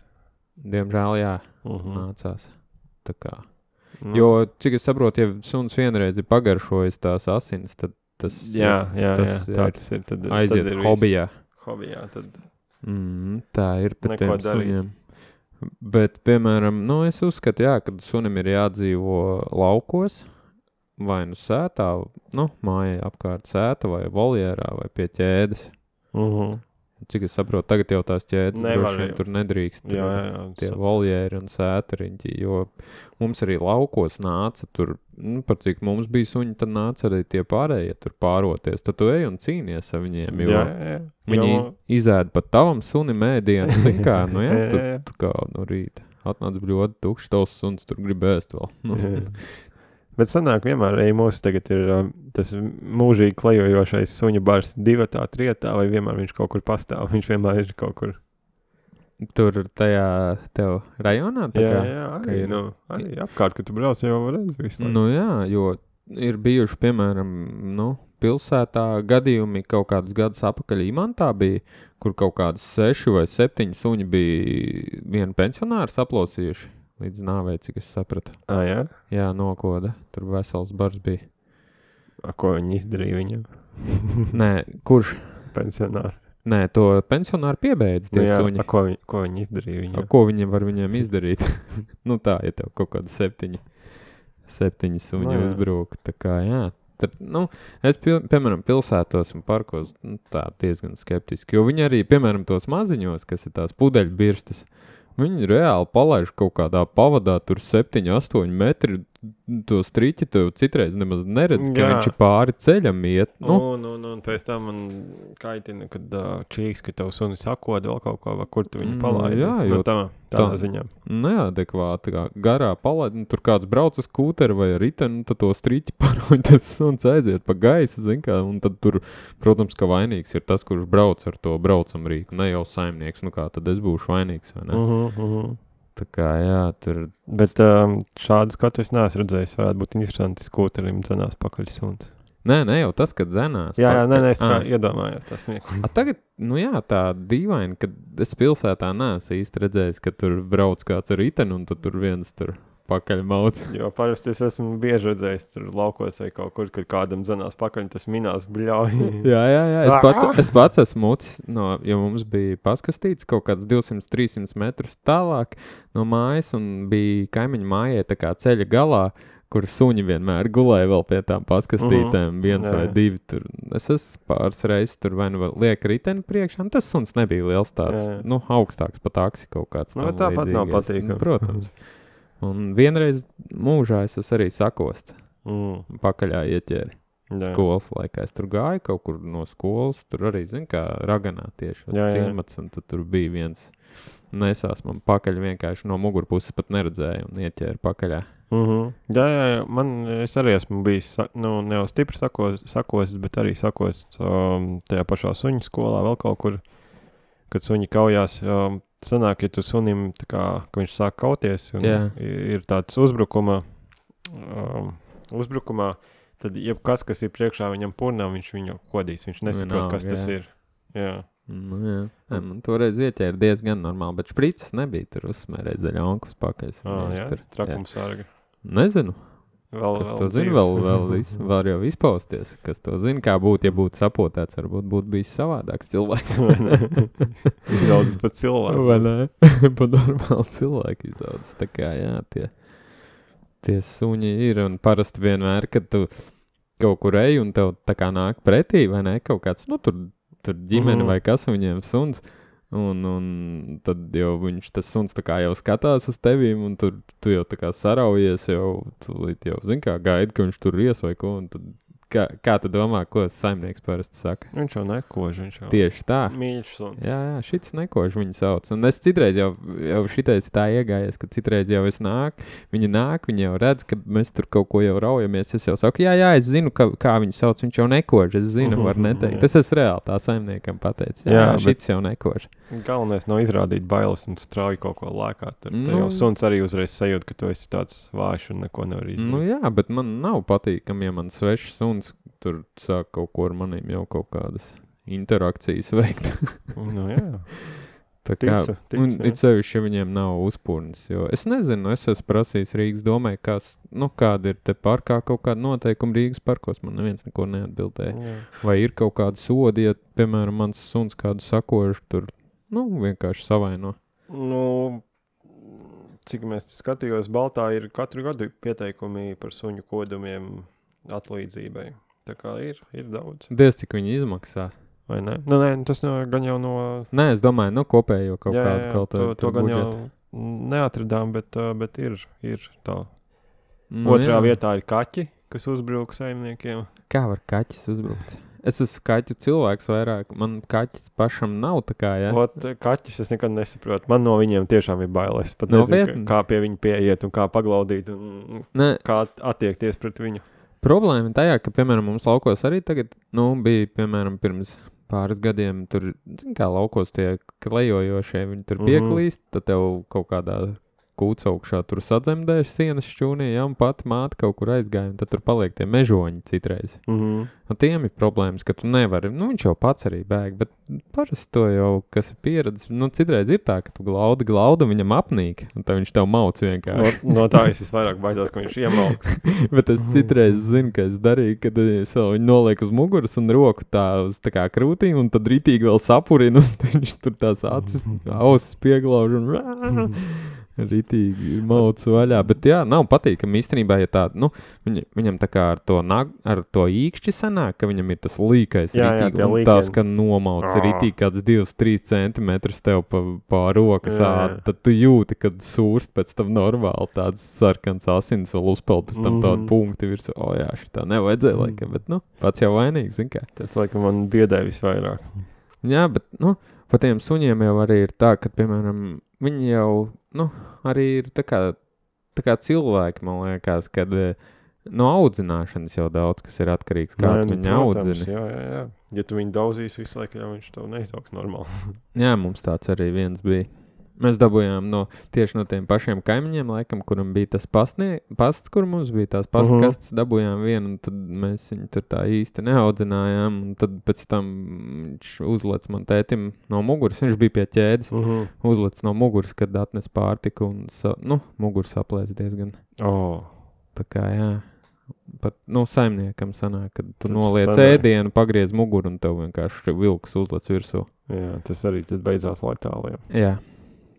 Diemžēl, jā, nācās. Tā kā. Jo, cik es saprotu, ja suns vienreiz ir pagaršojis tās asins, tad tas Jā, tā tas ir. Tad aiziet tad ir hobijā. Hobijā, tad... Tā ir pat Neko tiem suņiem. Bet, piemēram, es uzskatu, jā, kad sunim ir jādzīvo laukos, vai nu sētā, mājai apkārt sēta, vai voljērā, vai pie ķēdes. Cik es saprotu, tagad jau tās ķēdes droši vien tur nedrīkst. Jā. Tie voljēri un sētariņķi, jo mums arī laukos nāca tur, par cik mums bija suņi, tad nāca arī tie pārējie tur pāroties. Tad tu ej un cīnies ar viņiem, jo viņi izēd pat tavam sunim ēdienu, zin kā, tu kā no rīta atnāc bļodi tukšs, tavs suns tur grib ēst vēl. Bet sanāk vienmēr, mūsu tagad ir tas mūžīgi klejojošais suņu bars 2, 3, vai vienmēr viņš kaut kur pastāv, viņš vienmēr ir kaut kur. Tur tajā tev rajonā? Jā, arī apkārt, kad tu brauc jau redz visu laiku. Jā, jo ir bijuši, piemēram, pilsētā gadījumi kaut kādus gadus apakaļ Imantā bija, kur kaut kādas 6 vai 7 suņi bija vienu pensionāru saplosījuši. Līdz nāvei, cik es sapratu. Jā? Jā, nokoda. Tur vesels bars bija. Ko viņi izdarīja viņam? Nē, kurš? Pensionāri. Nē, to pensionāri piebeidz tie suņi. Ko viņi izdarīja viņam? Ko viņi var viņiem izdarīt? Tā, ja tev kaut kāda 7 suņi uzbrūk. Tā kā, jā. Tad, es, piemēram, pilsētos un parkos tā diezgan skeptiski, jo viņi arī, piemēram, tos maziņos, kas ir tās pudeļbirstas, viņi reāli palaiž kaut kādā pavadā, tur 7, 8 metri, to striķi tev citreiz nemaz neredz, ka viņš ir pāri ceļam iet. Un pēc tam man kaitina, kad čīks, ka tev suni sakoda vēl kaut ko, vai kur tu viņu palaidi. Jā, jo tādā ziņā. Neadekvāti, kā garā palaidi, tur kāds brauc uz skūteri vai riteni, tad to striķi paroņ, tas suns aiziet pa gaisa, zin kā, un tad tur, protams, ka vainīgs ir tas, kurš brauc ar to braucamrīku, ne jau saimnieks, kā tad es būšu vainīgs, vai ne? Tā kā, jā, tur... Bet šādu skatu es neesmu redzējis, varētu būt interesanti skūterim dzenās pakaļ suns. Nē, jau tas, kad dzenās. Jā, es tā kā iedomājos tas smieklīgi. Tagad, tā dīvaini, kad es pilsētā neesmu īsti redzējis, ka tur brauc kāds ar riteni, un tad tur viens tur pakaļ mauc. Jo parasti es esmu bieži redzējis tur laukos vai kaut kur, kad kādam dzenās pakaļ, tas minās bļauj. Jā, es pats esmu mucis, jo mums bija paskastīts kaut kāds 200-300 metrus tālāk no mājas, un bija kaimiņu mājai tā kā ceļa galā, kur suņi vienmēr gulēja vēl pie tām paskastītēm, viens vai 2 tur. Es esmu pāris reizes tur vai liek riteni priekšā, tas suns nebija liels tāds, augstāks pa taksi kaut kāds tam tāpat līdzīgais. Nav patīkami. Protams. Un vienreiz mūžā es arī sakosts pakaļā ieķēri. Skolas laikā es tur gāju kaut kur no skolas, tur arī, kā Raganā tieši ciemats, un tad tur bija viens nesās man pakaļ vienkārši no mugurpuses pat neredzēju un ieķēri pakaļā. Jā, es arī esmu bijis, ne jau stipri sakosts, bet arī sakosts tajā pašā suņu skolā vēl kaut kur, kad suņi kaujās. Sanāk, ja tu sunim, ka viņš sāk kauties un ir tāds uzbrukumā, tad jebkas, kas ir priekšā viņam purnām, viņš viņu kodīs, viņš nesaprot, kas tas ir. Jā. Man toreiz ieķēra diezgan normāli, bet špricis nebija tur uzsmērēja zaļonkus pakaļ. Trakumsārga. Nezinu. Kas to zina, vēl var jau izpausties. Kas to zina, kā būtu, ja būtu sapotēts, varbūt būtu bijis savādāks cilvēks. Izaudzis pat cilvēku. Vai ne? Pa normāli cilvēku izaudzis. Tā kā, jā, tie suņi ir, un parasti vienmēr, kad tu kaut kur ej, un tev tā kā nāk pretī, vai ne, kaut kāds, tur ģimene vai kas viņiem suns, un tad jau tas suns tā kā jau skatās uz tevīm, un tu jau tā kā saraujies, jau, tūlīt jau, zin kā, gaidi, ka viņš tur ies vai ko, un tad kā tu domā, ko saimnieks parasti saka? Viņš jau nekož, viņš jau Tieši tā. mīļš suns. Jā, šits nekož viņu sauc. Un es citreiz jau šitais tā iegājies, ka citreiz jau viņi jau redz, ka mēs tur kaut ko jau raujamies. Es jau saku, jā, es zinu, kā viņu sauc, viņš jau nekož. Es zinu, var neteikt. Tas es reāli tā saimniekam pateicu. Jā, šits jau nekož. Galvenais nav izrādīt bailes un strauji kaut ko lēkāt. Tur jau suns arī uzreiz sajūt, ka tu esi tāds vājš un neko nevar izdarīt. Nu jā, bet man nav patīkami, ja man svešs suns tur sāk kaut ko ar manīm jau kaut kādas interakcijas veikt. Nu jā. Tā kā, un it sevišķi, ja viņiem nav uzpūrnes, jo es nezinu, es esmu prasījis Rīgas domai, kāda ir te parkā kaut kāda noteikuma Rīgas parkos, man neviens neko neatbildēja. Jā. Vai ir kaut kāda sodi, ja, piemēram, mans suns kādu sakožu tur, vienkārši savaino. Cik mēs skatījos, Baltā ir katru gadu pieteikumi par suņu kodumiem atlīdzībai. Tā kā ir daudz. Diez, cik viņi izmaksā. Vai ne? Nē, tas gan jau no... Nē, es domāju, kopējo kaut kādu to gan jau neatradām, bet ir tā. Otrā vietā ir kaķi, kas uzbruk saimniekiem. Kā var kaķis uzbrukt? Es esmu kaķu cilvēks vairāk, man kaķis pašam nav tā kā, jā. Kaķis es nekad nesaprotu, man no viņiem tiešām ir bailes. Pat nezinu, kā pie viņa pieiet un kā paglaudīt un kā attiekties pret viņu. Problēma ir tajā, ka, piemēram, mums laukos arī tagad, bija, piemēram, pirms pāris gadiem tur, kā laukos tie klejojošie, viņi tur pieklīst, tad tev kaut kādā kūts augšā tur sadzemdēš sienas šķūnī, un pat māte kaut kur aizgāja, un tad tur paliek tie mežoņi citreiz. Un tiem ir problēmas, ka tu nevari, viņš jau pats arī bēg, bet parasti to jau, kas ir pieredzis, citreiz ir tā, ka tu glaudu, viņam apnīk, un tad viņš tev mauc vienkārši. No tā es vairāk baidās, ka viņš iemauks. Bet es citreiz zinu, ka es darīju, kad es viņu nolieku uz muguras un roku uz tā kā krūtīm, un tad ritīgi vēl sapurinu, un viņš tur tās ausis pieglauž un ritīgi mauc vaļā, bet jā, nav patīkami īstenībā, ja tāda, viņam tā kā ar to īkšķi sanāk, ka viņam ir tas līkais ritīgi, un tās, ka nomauc ritīgi kāds 2-3 centimetrus tev pa rokas ād, tad tu jūti, kad sūrst pēc tam normāli tāds sarkans asins vēl uzpeld pēc tam tādu punkti virs, jā, šitā nevajadzēja laikam, bet, pats jau vainīgs, zin kā. Tas laikam man biedē visvairāk. Jā, bet, pa tiem suņiem jau arī ir tā, ka, piemēram, viņi jau, arī ir tā kā cilvēki, man liekas, kad no audzināšanas jau daudz, kas ir atkarīgs, kā tu viņu audzini. Jā. Ja tu viņu daudzīs visu laiku, viņš tev neizaugs normāli. Jā, mums tāds arī viens bija. Mēs dabūjām tieši no tiem pašiem kaimiņiem, laikam, kuram bija tas pasts, kur mums bija tās pastkastes, dabūjām vienu, un tad mēs viņu tur tā īsti neaudzinājām, un tad pēc tam viņš uzlec man tētim no muguras, viņš bija pie ķēdes, uzlec no muguras, kad atnes pārtiku, un muguras aplēs diezgan. Tā kā, jā. Pat, saimniekam sanāk, kad tu noliec ēdienu, pagriez muguru, un tev vienkārši vilks uzlec virsū. Jā, tas arī tad beidzās letāli, Jā.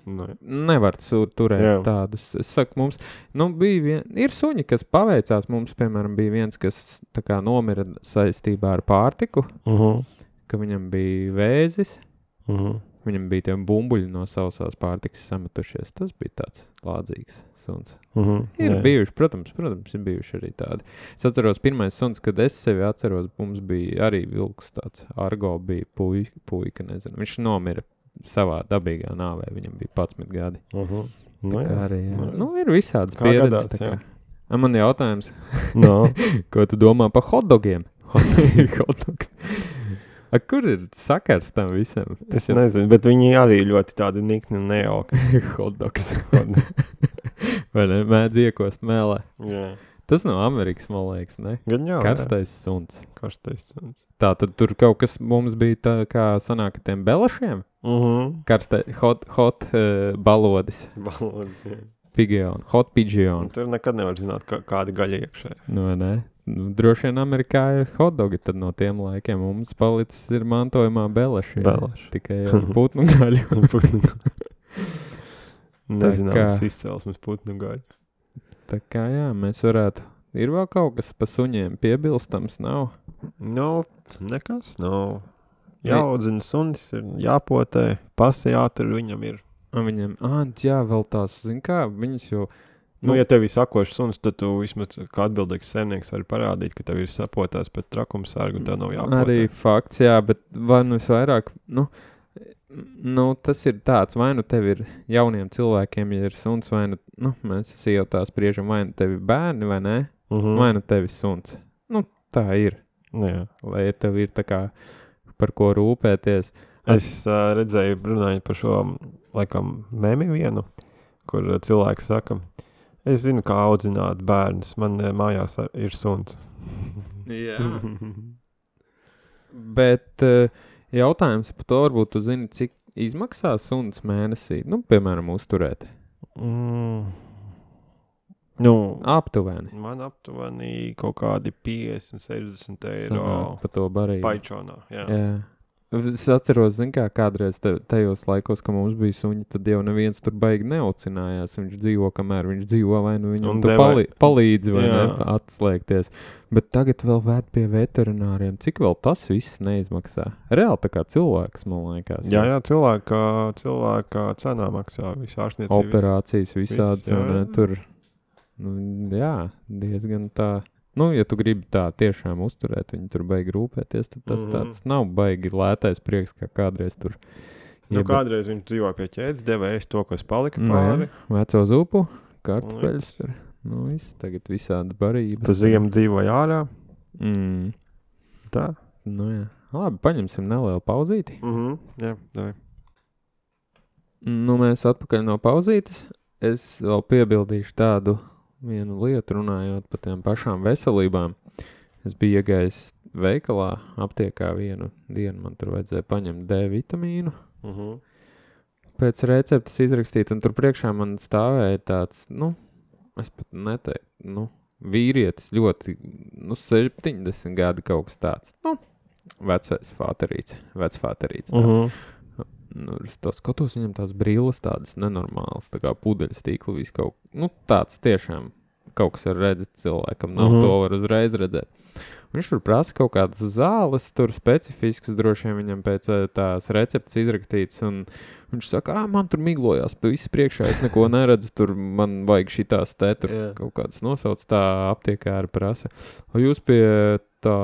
Nevar turēt tādus. Es saku, mums, ir suņi, kas paveicās, mums, piemēram, bija viens, kas tā kā nomira saistībā ar pārtiku, ka viņam bija vēzis, viņam bija tie bumbuļi no sausās pārtikas sametušies, tas bija tāds lādzīgs suns. Ir bijuši, protams, ir bijuši arī tādi. Es atceros, pirmais suns, kad es sevi atceros, mums bija arī vilks tāds, Argo bija puika, nezinu, viņš nomira savā dabīgā nāvē, viņam bija 11 gadi. Arī, jā. Ir visādas pieredzes. Man jautājums, ko tu domā par hotdogiem? Hotdogs. Kur ir sakars tam visam? Es nezinu, bet viņi arī ļoti tādi nikni un nejauki. Hotdogs. Vai ne? Mēdz iekost mēlē. Jā. Tas nav Amerikas, man liekas, ne? Gan jau, Karstais suns. Karstais suns. Tā, tad tur kaut kas mums bija tā kā sanāk tiem belašiem? Hot balodis. Balodis, jā. Pigeon, hot pigeon. Tur nekad nevar zināt, kāda gaļa iekšē. Ne? Droši vien Amerikā ir hotdogi, tad no tiem laikiem mums palicis ir mantojumā belaši. Tikai putnu gaļu. Nezināms izcelsmes putnu gaļu. Tā kā jā, mēs varētu, ir vēl kaut kas pa suņiem piebilstams, nav? Nekas nav. Jāaudzina sunis, ir jāpotē, pasi jātur viņam ir. Viņam, jā, vēl tās, zin kā, viņas jau, Nu, ja tev ir sakošs suns, tad tu vismaz kā atbildīgs saimnieks vari parādīt, ka tev ir sapotās pēc trakumsārgu un tev nav jāpotē. Arī fakts, jā, bet vai nu visvairāk, nu, tas ir tāds, vai nu tev ir jauniem cilvēkiem, ja ir suns, vai nu, mēs iejautās spriežam, vai nu tev ir bērni, vai ne, vai nu tev ir suns. Nu, tā ir. Jā. Lai tev ir tā kā par ko rūpēties. Es redzēju, runājot par šo, laikam, memi vienu, kur cilvēks saka, es zinu, kā audzināt bērnus, man mājās ir suns. Jā. Bet jautājums par to, varbūt tu zini, cik izmaksā suns mēnesī, nu, piemēram, uzturēt? Nu, aptuveni. Man aptuveni kaut kādi 50-60 eiro Sanāk pa to barību. Paičonā, jā. Es atceros, zin kā, kādreiz tajos laikos, ka mums bija suņi, tad jau neviens tur baigi neaucinājās. Viņš dzīvo, kamēr viņš dzīvo, vai nu viņam tu palīdzi, vai ne, atslēgties. Bet tagad vēl vēd pie veterināriem. Cik vēl tas viss neizmaksā? Reāli tā kā cilvēks, man liekas. Jā, cilvēka cenā maksā visu ārstniecību. Operācijas visādas, un tur, jā, diezgan tā. Nu, ja tu gribi tā tiešām uzturēt, viņi tur baigi rūpēties, tad tas tāds nav baigi lētais prieks, kā kādreiz tur. Nu, kādreiz viņš dzīvo pie ķēdes, deva ēst to, kas palika pāri. Veco zupu, kartupeļus tur. Nu, viss, tagad visādi barības. Pa ziemu dzīvoja ārā. Tā. Nu, jā. Labi, paņemsim nelielu pauzīti. Jā, davai. Nu, mēs atpakaļ no pauzītes. Es vēl piebildīšu tādu vienu lietu runājot par tiem pašām veselībām. Es biju iegājis veikalā, aptiekā vienu dienu, man tur vajadzēja paņemt D vitamīnu. Pēc receptes izrakstīt, un tur priekšā man stāvēja tāds, nu, es pat neteiktu, vīrietis ļoti, 70 gadi kaut kas tāds, vecfāterīts tāds. Es tā skatos, viņam tās brilles tādas nenormālas, tā kā pudeļas tīkli, viss kaut, tāds tiešām kaut kas ar redzēt cilvēkam, nav to var uzreiz redzēt. Viņš tur prasa kaut kādas zāles, tur specifiskas, droši vien viņam pēc tās receptes izrakstīts, un viņš saka, man tur miglojās pa visu priekšā, es neko neredzu, tur man vajag šitās tur kaut kādas nosauc, tā aptiekāri prasa. O jūs pie tā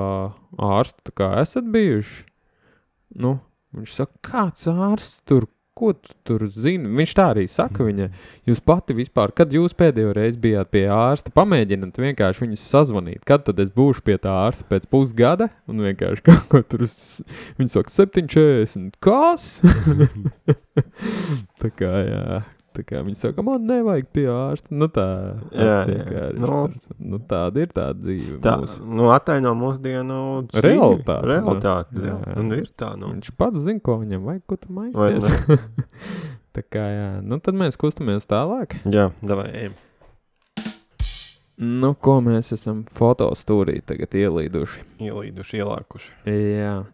ārsta tā kā esat bijuši? Viņš saka, kāds ārsts tur, ko tu tur zini? Viņš tā arī saka viņai, jūs pati vispār, kad jūs pēdējo reizi bijāt pie ārsta, pamēģināt vienkārši viņus sazvanīt, kad tad es būšu pie tā ārsta pēc pusgada, un vienkārši kaut ko tur, viņi saka, 7,40, kas? Tā kā, jā. Tā kā viņi saka, man nevajag pie ārsta. Tāda ir tā dzīve mūsu. Attaino mūsdienu realitāti. Jā. Un ir tā, Viņš pats zina, ko viņam vajag, ko tu maisies. Tā kā, jā. Tad mēs kustamies tālāk. Jā, davai, ejam. Ko mēs esam fotostūrī tagad ielākuši. Jā.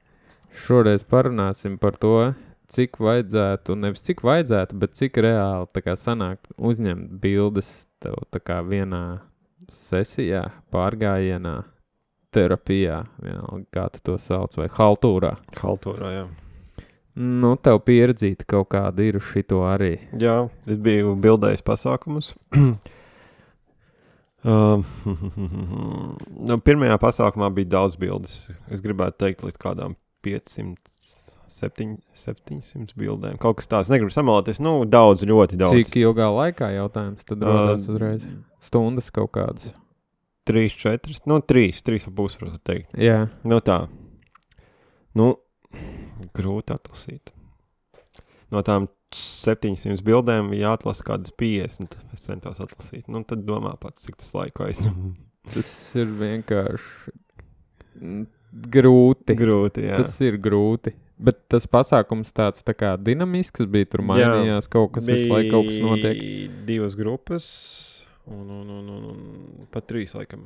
Šoreiz parunāsim par to, cik vajadzētu, nevis cik vajadzētu, bet cik reāli tā kā sanāk uzņemt bildes tev tā kā vienā sesijā, pārgājienā, terapijā, vienalga, kā tu to sauc, vai haltūrā. Haltūrā, jā. Tev pieredzīta kaut kāda ir uz šito arī. Jā, es biju bildējis pasākumus. Pirmajā pasākumā bija daudz bildes. Es gribētu teikt līdz kādām 700 bildēm. Kaut kas tāds, negribu samalāties, daudz, ļoti daudz. Cik ilgā laikā jautājums tad rodās uzreiz? Stundas kaut kādas? 3, 4, 3,5 varētu teikt. Jā. Tā. Grūti atlasīt. No tām 700 bildēm jāatlasa kādas 50, es centos atlasīt. Tad domā pats, cik tas laiku aizņem. Tas ir vienkārši grūti. Grūti, jā. Tas ir grūti. Bet tas pasākums tāds tā kā dinamisks bija, tur mainījās kaut kas, visu laiku kaut kas notiek. Bija 2 grupas un pat 3 laikam.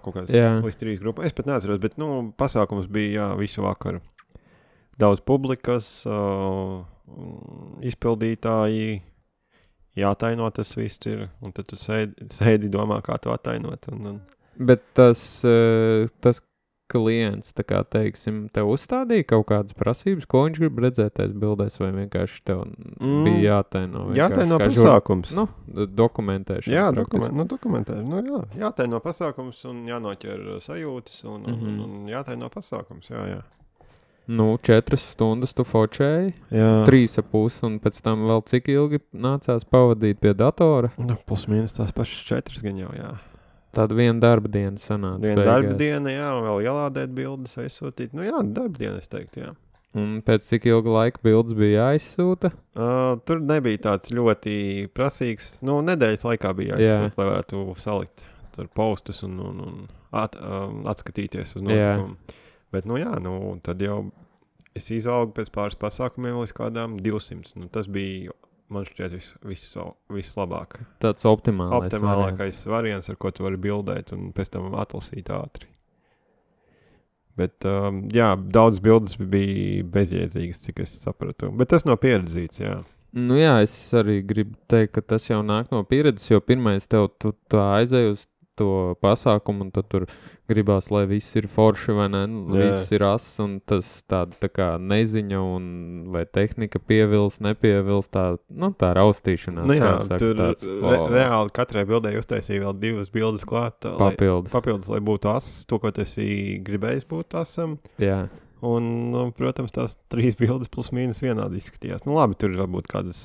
Kaut kāds līdz 3 grupas. Es pat neatceros, bet pasākums bija visu vakaru. Daudz publikas, izpildītāji, jātaino tas viss ir, un tad tu sēdi domā, kā tu attainot. Bet tas klients, tā kā teiksim, tev uzstādīja kaut kādas prasības, ko viņš grib redzēt tais bildēs, vai vienkārši tev bija jātaino? Jātaino pasākums. Dokumentēšana. Jā, dokumentēšana. Jā, jātaino pasākums un jānoķer sajūtas un jātaino pasākums, jā. 4 stundas tu fočēji, 3,5 un pēc tam vēl cik ilgi nācās pavadīt pie datora? Plus mīnus tās pašas 4 gan jau, jā. Tāda viena darba diena sanāca beigās. Darba diena, jā, un vēl ielādēt bildes, aizsūtīt. Darba diena, es teiktu, jā. Un pēc cik ilga laika bildes bija jāizsūta? Tur nebija tāds ļoti prasīgs, nedēļas laikā bija jāizsūta, lai varētu salikt tur postus un atskatīties uz notikumu. Bet, tad jau es izaugu pēc pāris pasākumiem līdz kādām 200. Tas bija, man šķiet, vislabāk. Tāds optimālākais variants, ar ko tu vari bildēt un pēc tam atlasīt ātri. Bet, daudz bildes bija bezjēdzīgas, cik es sapratu. Bet tas nav pieredzīts, jā. Es arī gribu teikt, ka tas jau nāk no pieredzes, jo pirmais tu tā aizēji uz to pasākumu, un tad tur gribās, lai viss ir forši, vai ne, viss ir ass, un tas tā kā neziņa, un vai tehnika pievils, nepievils, tā raustīšanās. Reāli katrai bildē uztaisīja vēl 2 bildes klāt. Papildus, lai būtu ass, to, ko tas gribējis būt assam. Jā. Un, protams, tās 3 bildes plus mīnus vienādi izskatījās. Labi, tur varbūt kādas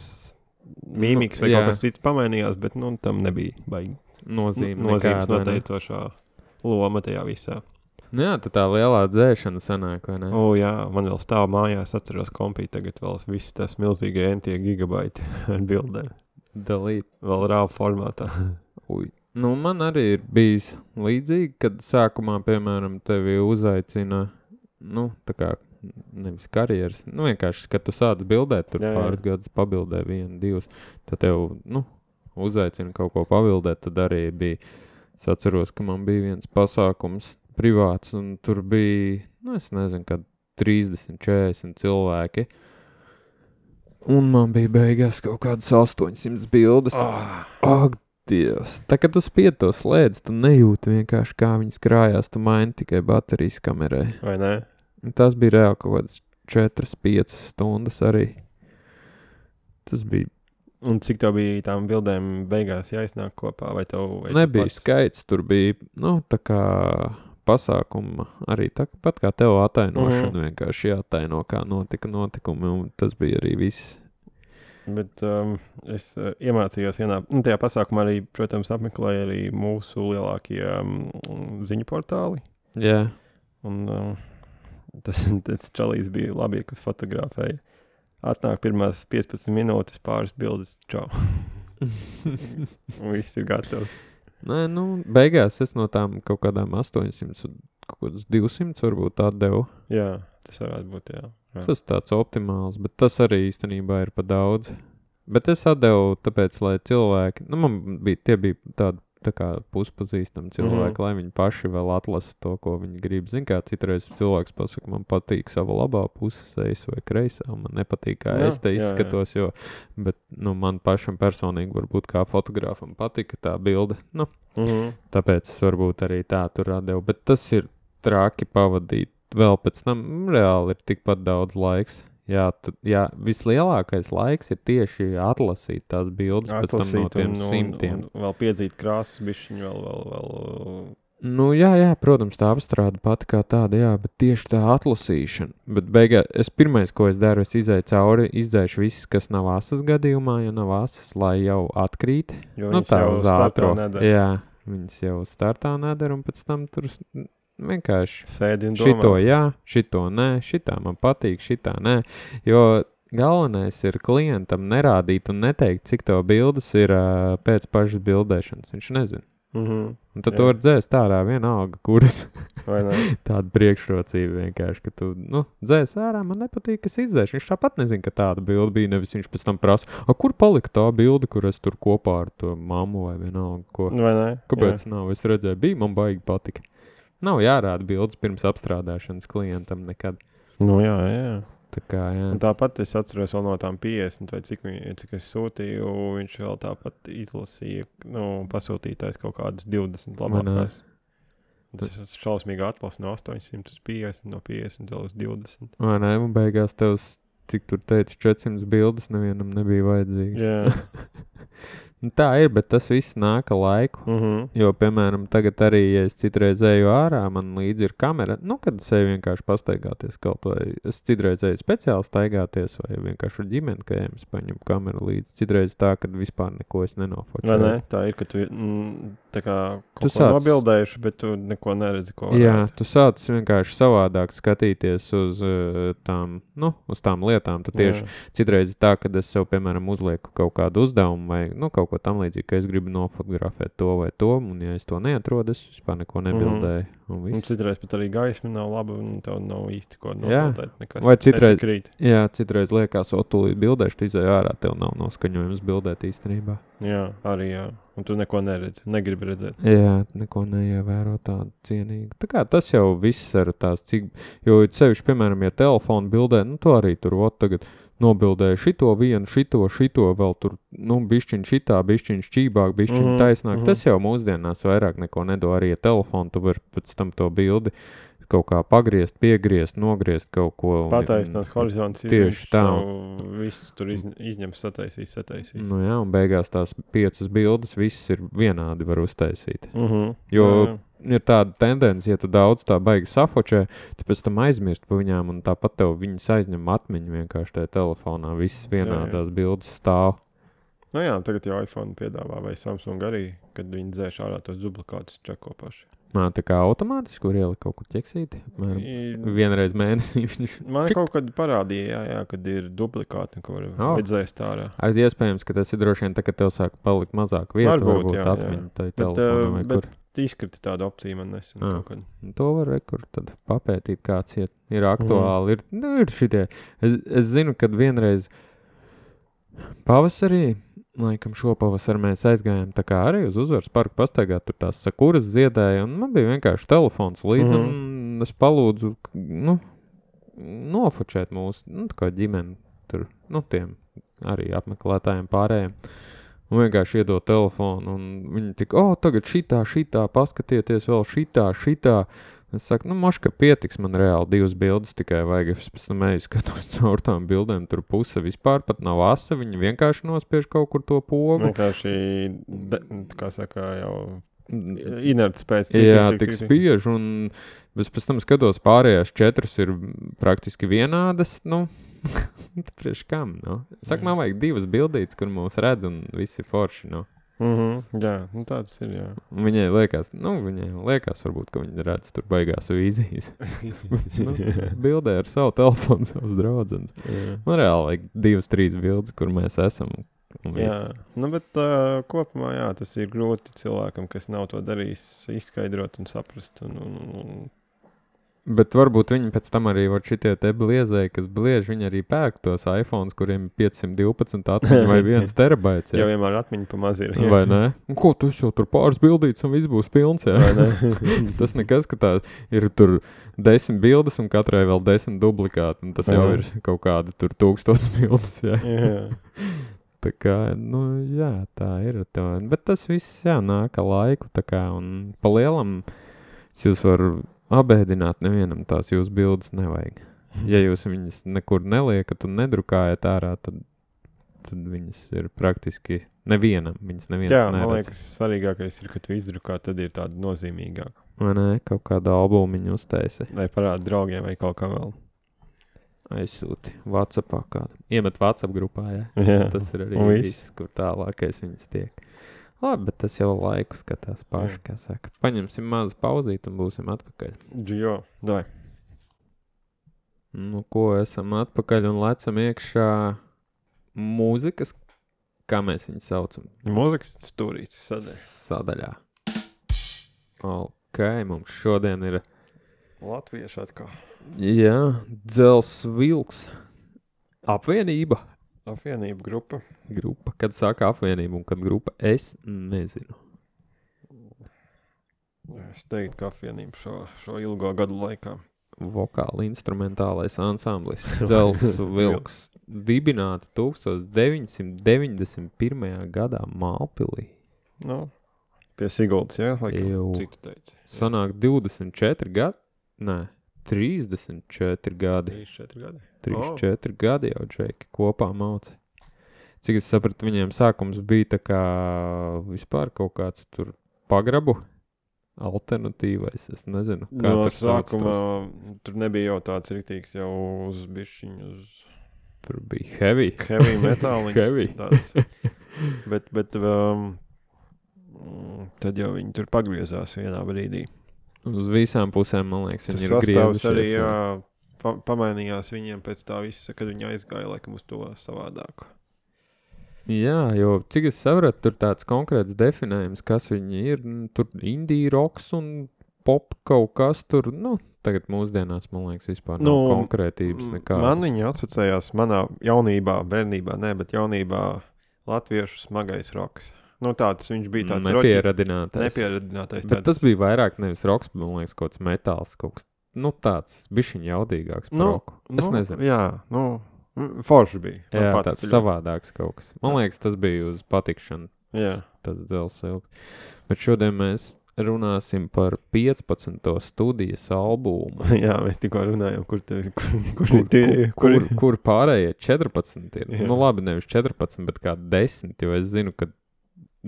mīmikas vai kaut kas cits pamainījās, bet, tam nebija baigi. Nozīmes noteicošā loma tajā visā. Tad tā lielā dzēšana sanāk, vai ne? Jā, man vēl stāv mājās, atceros kompī, tagad vēl viss tas milzīgie NT gigabaiti ar bildēm. Dalīt. Vēl RAW formātā. Man arī ir bijis līdzīgi, kad sākumā, piemēram, tevi uzaicina, tā kā nevis karjeras, vienkārši, kad tu sāc bildēt, tur pāris gadus pabildē 1, 2, tad tev, uzaicina kaut ko pabildēt, tad arī bija, es atceros, ka man bija viens pasākums privāts, un tur bija, es nezinu, kad 30, 40 cilvēki, un man bija beigās kaut kādas 800 bildes. Ak, Dievs! Tā, kad tu spied to slēdzi, tu nejūti vienkārši, kā viņas krājās, tu maini tikai baterijas kamerai. Vai ne? Un tas bija reāli kaut kādas 4-5 stundas arī. Tas bija. Un cik tev bija tām bildēm beigās jāiznāk kopā, vai tev... Nebija skaits, tur bija, tā kā pasākuma arī tāpat kā tev atainošana, vienkārši jātaino, kā notika notikumi, un tas bija arī viss. Bet es iemācījos tajā pasākumā arī, protams, apmeklēju arī mūsu lielākie ziņu portāli. Jā. Un tas čalīs bija labi, kas fotografēja. Atnāk pirmās 15 minūtes, pāris bildes, čau. Un viss ir gatavs. Beigās es no tām kaut kādām 800, kaut kādas 200 varbūt atdevu. Jā, tas varētu būt, jā. Tas tāds optimāls, bet tas arī īstenībā ir pa daudz. Bet es atdevu tāpēc, lai cilvēki, tie bija tādi tā kā puspazīstami cilvēki, lai viņi paši vēl atlasa to, ko viņi grib. Zin kā, citreiz cilvēks pasaka, man patīk sava labā puses ejas vai kreisā, man nepatīk, kā es te izskatos, bet, man pašam personīgi varbūt kā fotogrāfam patika tā bilde, tāpēc es varbūt arī tā tur atdevu, bet tas ir traki pavadīt, vēl pēc tam reāli ir tikpat daudz laiks. Jā, vislielākais laiks ir tieši atlasīt tās bildes pēc tam no tiem simtiem. Un vēl piedzīt krāsas bišķiņu, vēl... Jā, protams, tā apstrāde pati kā tāda, bet tieši tā atlasīšana. Bet beigās, pirmais, ko es daru, es izēju cauri, izdzēšu viss, kas nav asas gadījumā, ja nav asas, lai jau atkrīt. Jo viņas jau startā nedara. Jā, viņas jau startā nedara, un pēc tam tur... Vienkārši sēdi un domā. Šito jā, šito nē, šitā man patīk, šitā nē, jo galvenais ir klientam nerādīt un neteikt, cik tev bildes ir pēc pašas bildēšanas, viņš nezina. Un tad tu var dzēst ārā vienalga, kuras tāda priekšrocība vienkārši, ka tu, dzēs ārā, man nepatīk, kas izdzēš, viņš tāpat nezina, ka tāda bilde bija, nevis viņš pēc tam prasa, kur palika tā bilde, kur es tur kopā ar to mammu vai vienalga, ko, vai ne? Kāpēc nav, es redzēju, bija, man baigi patika. Nav jārāda bildes pirms apstrādāšanas klientam nekad. Jā. Tā kā, jā. Un tāpat es atceros vēl no tām 50 vai cik es sūtīju, viņš vēl tāpat izlasīja, pasūtītājs kaut kādas 20 labākās. Tas ir šausmīgi atlas no 800 uz 50, no 50 vēl uz 20. Vai ne, un beigās tevs, cik tur teica, 400 bildes nevienam nebija vajadzīgs. Jā. Tā ir, bet tas viss nāk ar laiku. Jo, piemēram, tagad arī, ja es citreiz eju ārā, man līdzi ir kamera, kad es eju vienkārši pastaigāties kaut vai, es citreiz eju speciāli staigāties, vai vienkārši ar ģimeni, ka es paņemu kameru līdzi. Citreiz tā, kad vispār neko es nenofočēju. Vai ne? Tā ir, ka tu tā kā kaut ko nobildējuši, bet tu neko neredzi, ko varētu. Jā, tu sāc vienkārši savādāk skatīties uz uz tām lietām. Tu tieši citreiz tā, kad es sev, piemēram, uzlieku kaut kādu uzdevumu vai, kaut ko tam līdzīgi, ka es gribu nofotografēt to vai to, un ja es to neatrodu, es vispār neko nebildēju. Un citreiz pat arī gaisma nav laba, un tev nav īsti ko nobildēt. Nekas, vai citreiz liekas, tūlīt bildēšu, tu izēju ārā, tev nav noskaņojums bildēt īstenībā. Jā, arī jā. Un tu neko neredzi, negribi redzēt. Jā, neko neievēro tādu cienīgu. Tā kā tas jau viss ar tās cik, jo sevišķi, piemēram, ja telefonu bildē, tu arī tur tagad nobildēju šito vienu, šito, vēl tur, bišķiņ šitā, bišķiņ šķībāk, bišķiņ taisnāk. Tas jau mūsdienās vairāk neko nedo, arī ja telefonu, tu vari pēc tam to bildi kaut kā pagriezt, piegriezt, nogriezt kaut ko. Pataisināt horizonts, tieši tā. Visu tur izņem, sataisīs. Nu jā, un beigās tās 5 bildes viss ir vienādi var uztaisīt. Jo ir tāda tendence, ja tu daudz tā baigi safočē, tu pēc tam aizmirst pa viņām, un tāpat tev viņas aizņem atmiņu vienkārši tajā telefonā. Viss vienādās bildes stāv. Nu jā, tagad jau iPhone piedāvā vai Samsung arī, kad viņi dzēš ārā tos duplikātus čeko paši. Tā kā automātiski, kur ielika kaut kur ķeksīti, vienreiz mēnesī viņš... Man kaut kad parādīja, jā, kad ir duplikāti, ko var dzēst ārā. Iespējams, ka tas ir droši vien tā, ka tev sāk palikt mazāk vietu, varbūt atmiņu tai telefonā vai kur. Bet izkriti tādu opciju man nesen kaut kad. To var rekur tad papētīt, kāds ir aktuāli. Ir šitie. Es zinu, kad vienreiz pavasarī, laikam šopavasar mēs aizgājām tā kā arī uz Uzvaras parku pastaigāt, tur tās sakuras ziedēja, un man bija vienkārši telefons līdzi, un es palūdzu, nofočēt mūsu, tā kā ģimeni tur, tiem arī apmeklētājiem pārējiem, un vienkārši iedot telefonu, un viņi tik, tagad šitā, paskatieties vēl šitā, es saku, moška pietiks, man reāli 2 bildes tikai vajag, es pēc tam eju skatos caur tām bildēm, tur puse vispār pat nav asa, viņi vienkārši nospiež kaut kur to pogu. Vienkārši, kā saka, jau inerts pēc. Tik spiež, un es pēc tam skatos pārējās 4 ir praktiski vienādas, priekš kam, Saka, man vajag 2 bildītes, kur mūs redz, un visi forši, Jā, tāds ir, jā. Viņai liekas, varbūt, ka viņi redz tur baigās vīzijas. Bildē ar savu telefonu, savus draudzenes. Man reāli vajag 2-3 bildes, kur mēs esam. Jā, bet kopumā, jā, tas ir grūti cilvēkam, kas nav to darījis, izskaidrot un saprast. Bet varbūt viņi pēc tam arī var šitie te bliezēji, kas bliež, viņi arī pērk tos iPhones, kuriem 512 atmiņa vai 1 terabaits. Jau vienmēr atmiņa pa maz ir. Jā. Vai ne? Un ko, tu jau tur pāris bildītes un viss būs pilns, jā? Tas nekas, ka tā ir tur 10 bildes un katrai vēl 10 duplikāti, un tas jau ir kaut kāda tur 1000 bildes, jā. Tā kā, jā, tā ir. Bet tas viss, jā, nāk ar laiku, tā kā, un pa lielam jūs var abēdināt, nevienam tās jūsu bildes nevajag. Ja jūs viņas nekur neliekat un nedrukājat ārā, tad viņas ir praktiski nevienam, viņas neviens neredz. Jā, man liekas, svarīgākais ir, ka tu izdrukā, tad ir tāda nozīmīgāka. Vai ne, kaut kādu albumiņu uztaisi. Vai parāda draugiem vai kaut kā vēl. Aizsūti WhatsAppā kādu. Iemet WhatsApp grupā, jā. Tas ir arī viss, kur tālākais viņas tiek. Labi, bet tas jau laiku skatās paši, kā saka. Paņemsim mazu pauzīt un būsim atpakaļ. Jo, dai. Ko esam atpakaļ un lecam iekšā mūzikas, kā mēs viņu saucam? Mūzikas stūrītes sadaļā. Ok, mums šodien ir... Latvieši atkal. Jā, Dzels Vilks. Apvienība. Apvienība grupa. Kad saka apvienība un kad grupa, es nezinu. Es teiktu, ka apvienība šo ilgo gadu laikā. Vokāli instrumentālais ansamblis Dzels Vilks dibināta 1991. gadā Mālpilī. Pie Siguldas, jā? Jū. Cik tu teici? Sanāk 24 gadi? Nē, 34 gadi. 3-4 gadi. 3-4 gadi jau Džeki kopā māca. Cik es sapratu, viņiem sākums bija tā kā vispār kaut kāds tur pagrabu alternatīvais. Es nezinu, kā No tur sauc sākumā tos. tur nebija jau tāds riktīgs jau uz bišķiņu, uz Tur bija heavy. heavy metāliņš. Heavy. Tāds. Bet tad jau viņi tur pagriezās vienā brīdī. Uz visām pusēm, man liekas, Tas viņi ir sastāvs arī griezušies. jā, pamainījās viņiem pēc tā visa, kad viņi aizgāja laikam uz to savādāku. Jā, jo cik es sapratu, tur tāds konkrēts definējums, kas viņi ir. Tur indie roks un pop kaut kas tur, tagad mūsdienās, man liekas, vispār nav konkrētības nekādas. Man viņi asociējās manā jaunībā, bērnībā, bet jaunībā latviešu smagais roks. Tāds viņš bija tāds nepieradinātais. Bet tas bija vairāk nevis roks, bet man liekas, kaut kāds metāls, kaut kas, tāds bišķiņ jaudīgāks par roku. Es nezinu. Jā, forši bija. Jā, tāds savādāks kaut kas. Man liekas, tas bija uz patikšanu. Jā. Tas dzels ilgs. Bet šodien mēs runāsim par 15. studijas albumu. Jā, mēs tikko runājam, kur pārējie 14 ir. Jā. Labi, nevis 14, bet kā 10, jo es zinu, ka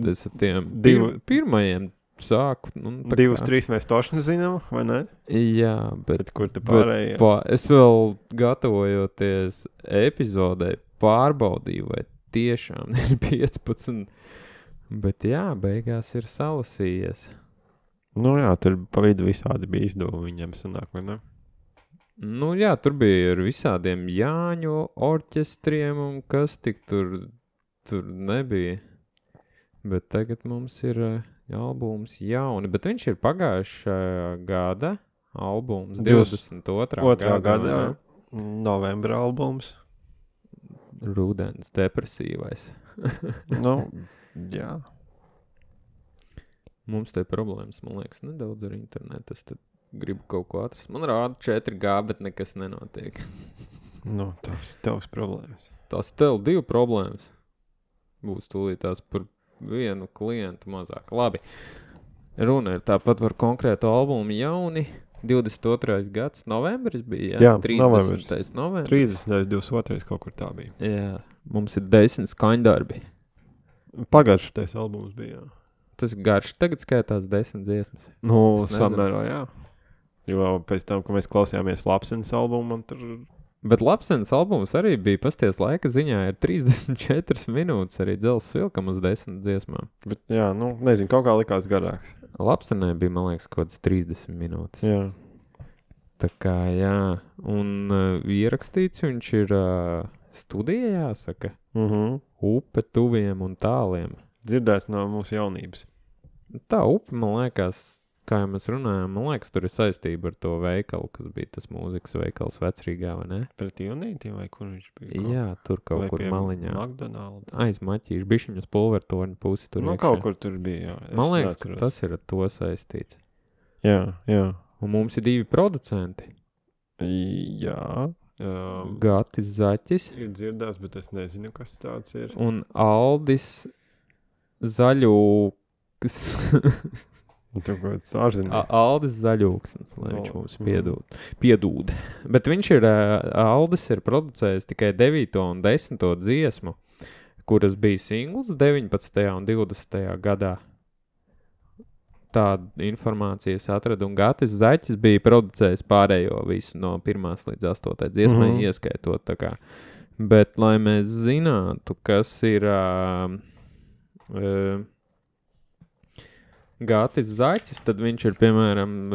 es ar tiem pirmajiem sāku. 2-3 mēs tošni zinām, vai ne? Jā, bet kur te pārējie? Es vēl gatavojoties epizodē pārbaudīju, vai tiešām ir 15. Bet jā, beigās ir salasījies. Jā, tur pa vidu visādi bija izdevumi viņam sanāk, vai ne? Jā, tur bija ar visādiem Jāņu orķestriem un kas tik tur nebija. Bet tagad mums ir albums jauni, bet viņš ir pagājušā gada albums, 22. gada novembra albums. Rudens depresīvais. Jā. Mums te problēmas, man liekas, nedaudz ar internetu. Es tad gribu kaut ko atrast. Man rāda 4G, bet nekas nenotiek. Tavs problēmas. Tās tev 2 problēmas. Būs tūlīt tās par vienu klientu mazāk. Labi. Runa ir tāpat par konkrētu albumu jauni. 22. gads, novembris bija, jā? 30. novembris. 30. 22. kaut kur tā bija. Jā, mums ir 10 skaņdarbi. Pagājušais albums bija, jā. Tas garš tagad skaitās 10 dziesmas. Samērā, jā. Jo pēc tam, kad mēs klausījāmies Lapsenes albumu, man tur... Bet Lapsenes albums arī bija pasties laika ziņā ir 34 minūtes arī dzels vilkam uz 10 dziesmām. Bet jā, nezinu, kaut kā likās garāks. Lapsenē bija, man liekas, kaut kāds 30 minūtes. Jā. Tā kā, jā. Un ierakstīts viņš ir studijā, jāsaka. Upe tuviem un tāliem. Dzirdēts no mūsu jaunības. Tā upe, man liekas, kā jau mēs runājām, man liekas, tur ir saistība ar to veikalu, kas bija tas mūzikas veikals Vecrīgā, vai ne? Pret Junītiem vai kur viņš bija? Jā, tur kaut kur maliņā. McDonald's. Aiz Maķīšu, bišķiņas pulvertorņu pusi tur iekšā. Kaut kur tur bija, jā. Man liekas, ka tas ir ar to saistīts. Jā. Un mums ir 2 producenti. Jā. Gatis Zaķis. Ir dzirdēts, bet es nezinu, kas tāds ir. Un Aldis Zaļūks. Aldis Zaļūksnis, lai viņš mums piedūd. Bet viņš ir, Aldis ir producējis tikai 9. un 10. dziesmu, kuras bija singls 19. un 20. gadā. Tādu informācijas atradu, un Gatis Zaķis bija producējis pārējo visu no 1. līdz 8. dziesmai ieskaitot, tā kā. Bet, lai mēs zinātu, kas ir Gatis Zaķis, tad viņš ir, piemēram,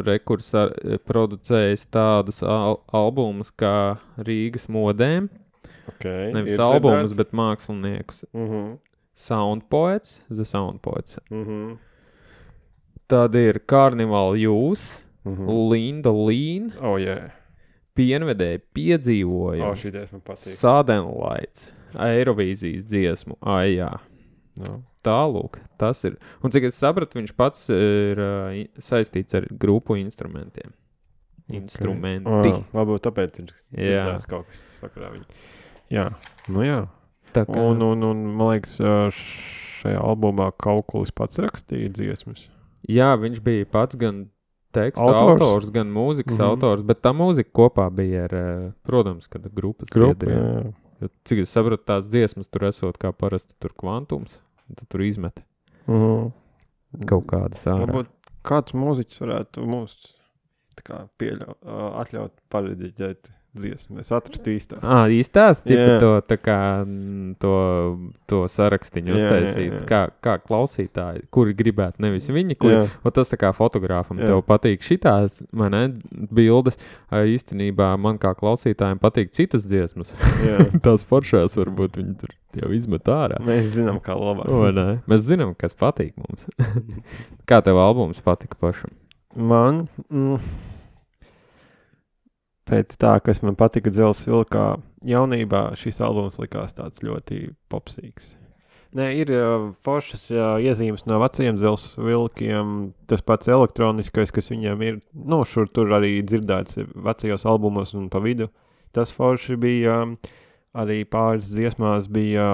producējis tādus albumus kā Rīgas modēm. Nevis albumus, bet māksliniekus. Sound Poets, The Sound Poets. Tad ir Carnival Jūs, Linda Lean, Pienvedēji piedzīvojumi, Sudden Lights, Eirovīzijas dziesmu, jā. Tālūk, tas ir. Un cik es sapratu, viņš pats ir saistīts ar grupu instrumentiem. Instrumenti. Varbūt tāpēc ir dzirdēts kaut kas sakarā viņu. Jā, jā. Tā kā... Un man liekas, šajā albumā Kaukulis pats rakstīja dziesmas. Jā, viņš bija pats gan tekstu autors gan mūzikas autors, bet tā mūzika kopā bija ar, protams, kad grupas biedriem. Jo, cik es saprotu, tās dziesmas tur esot kā parasti tur kvantums, tad tur izmet kaut kādas ārā. Varbūt kāds mūziķis varētu mūs tā kā atļaut parediģēt dziesmu. Es atrastu īstās. Īstās? Tipa to, tā kā, to sarakstiņu uztaisīt. Kā klausītāji, kuri gribētu, nevis viņi, kuri, un tas tā kā fotogrāfam tev patīk šitās, man ne, bildes, īstenībā man kā klausītājiem patīk citas dziesmas. Tās foršās varbūt viņi tur jau izmet ārā. Mēs zinām, kā labāk. Mēs zinām, kas patīk mums. Kā tev albums patika pašam? Man... Pēc tā, kas man patika Dzelzs vilkā jaunībā, šis albums likās tāds ļoti popsīgs. Nē, ir foršas iezīmes no vecajiem Dzelzs vilkiem, tas pats elektroniskais, kas viņiem ir, šur tur arī dzirdēts vecajos albumos un pa vidu. Tas forši bija, arī pāris dziesmās bija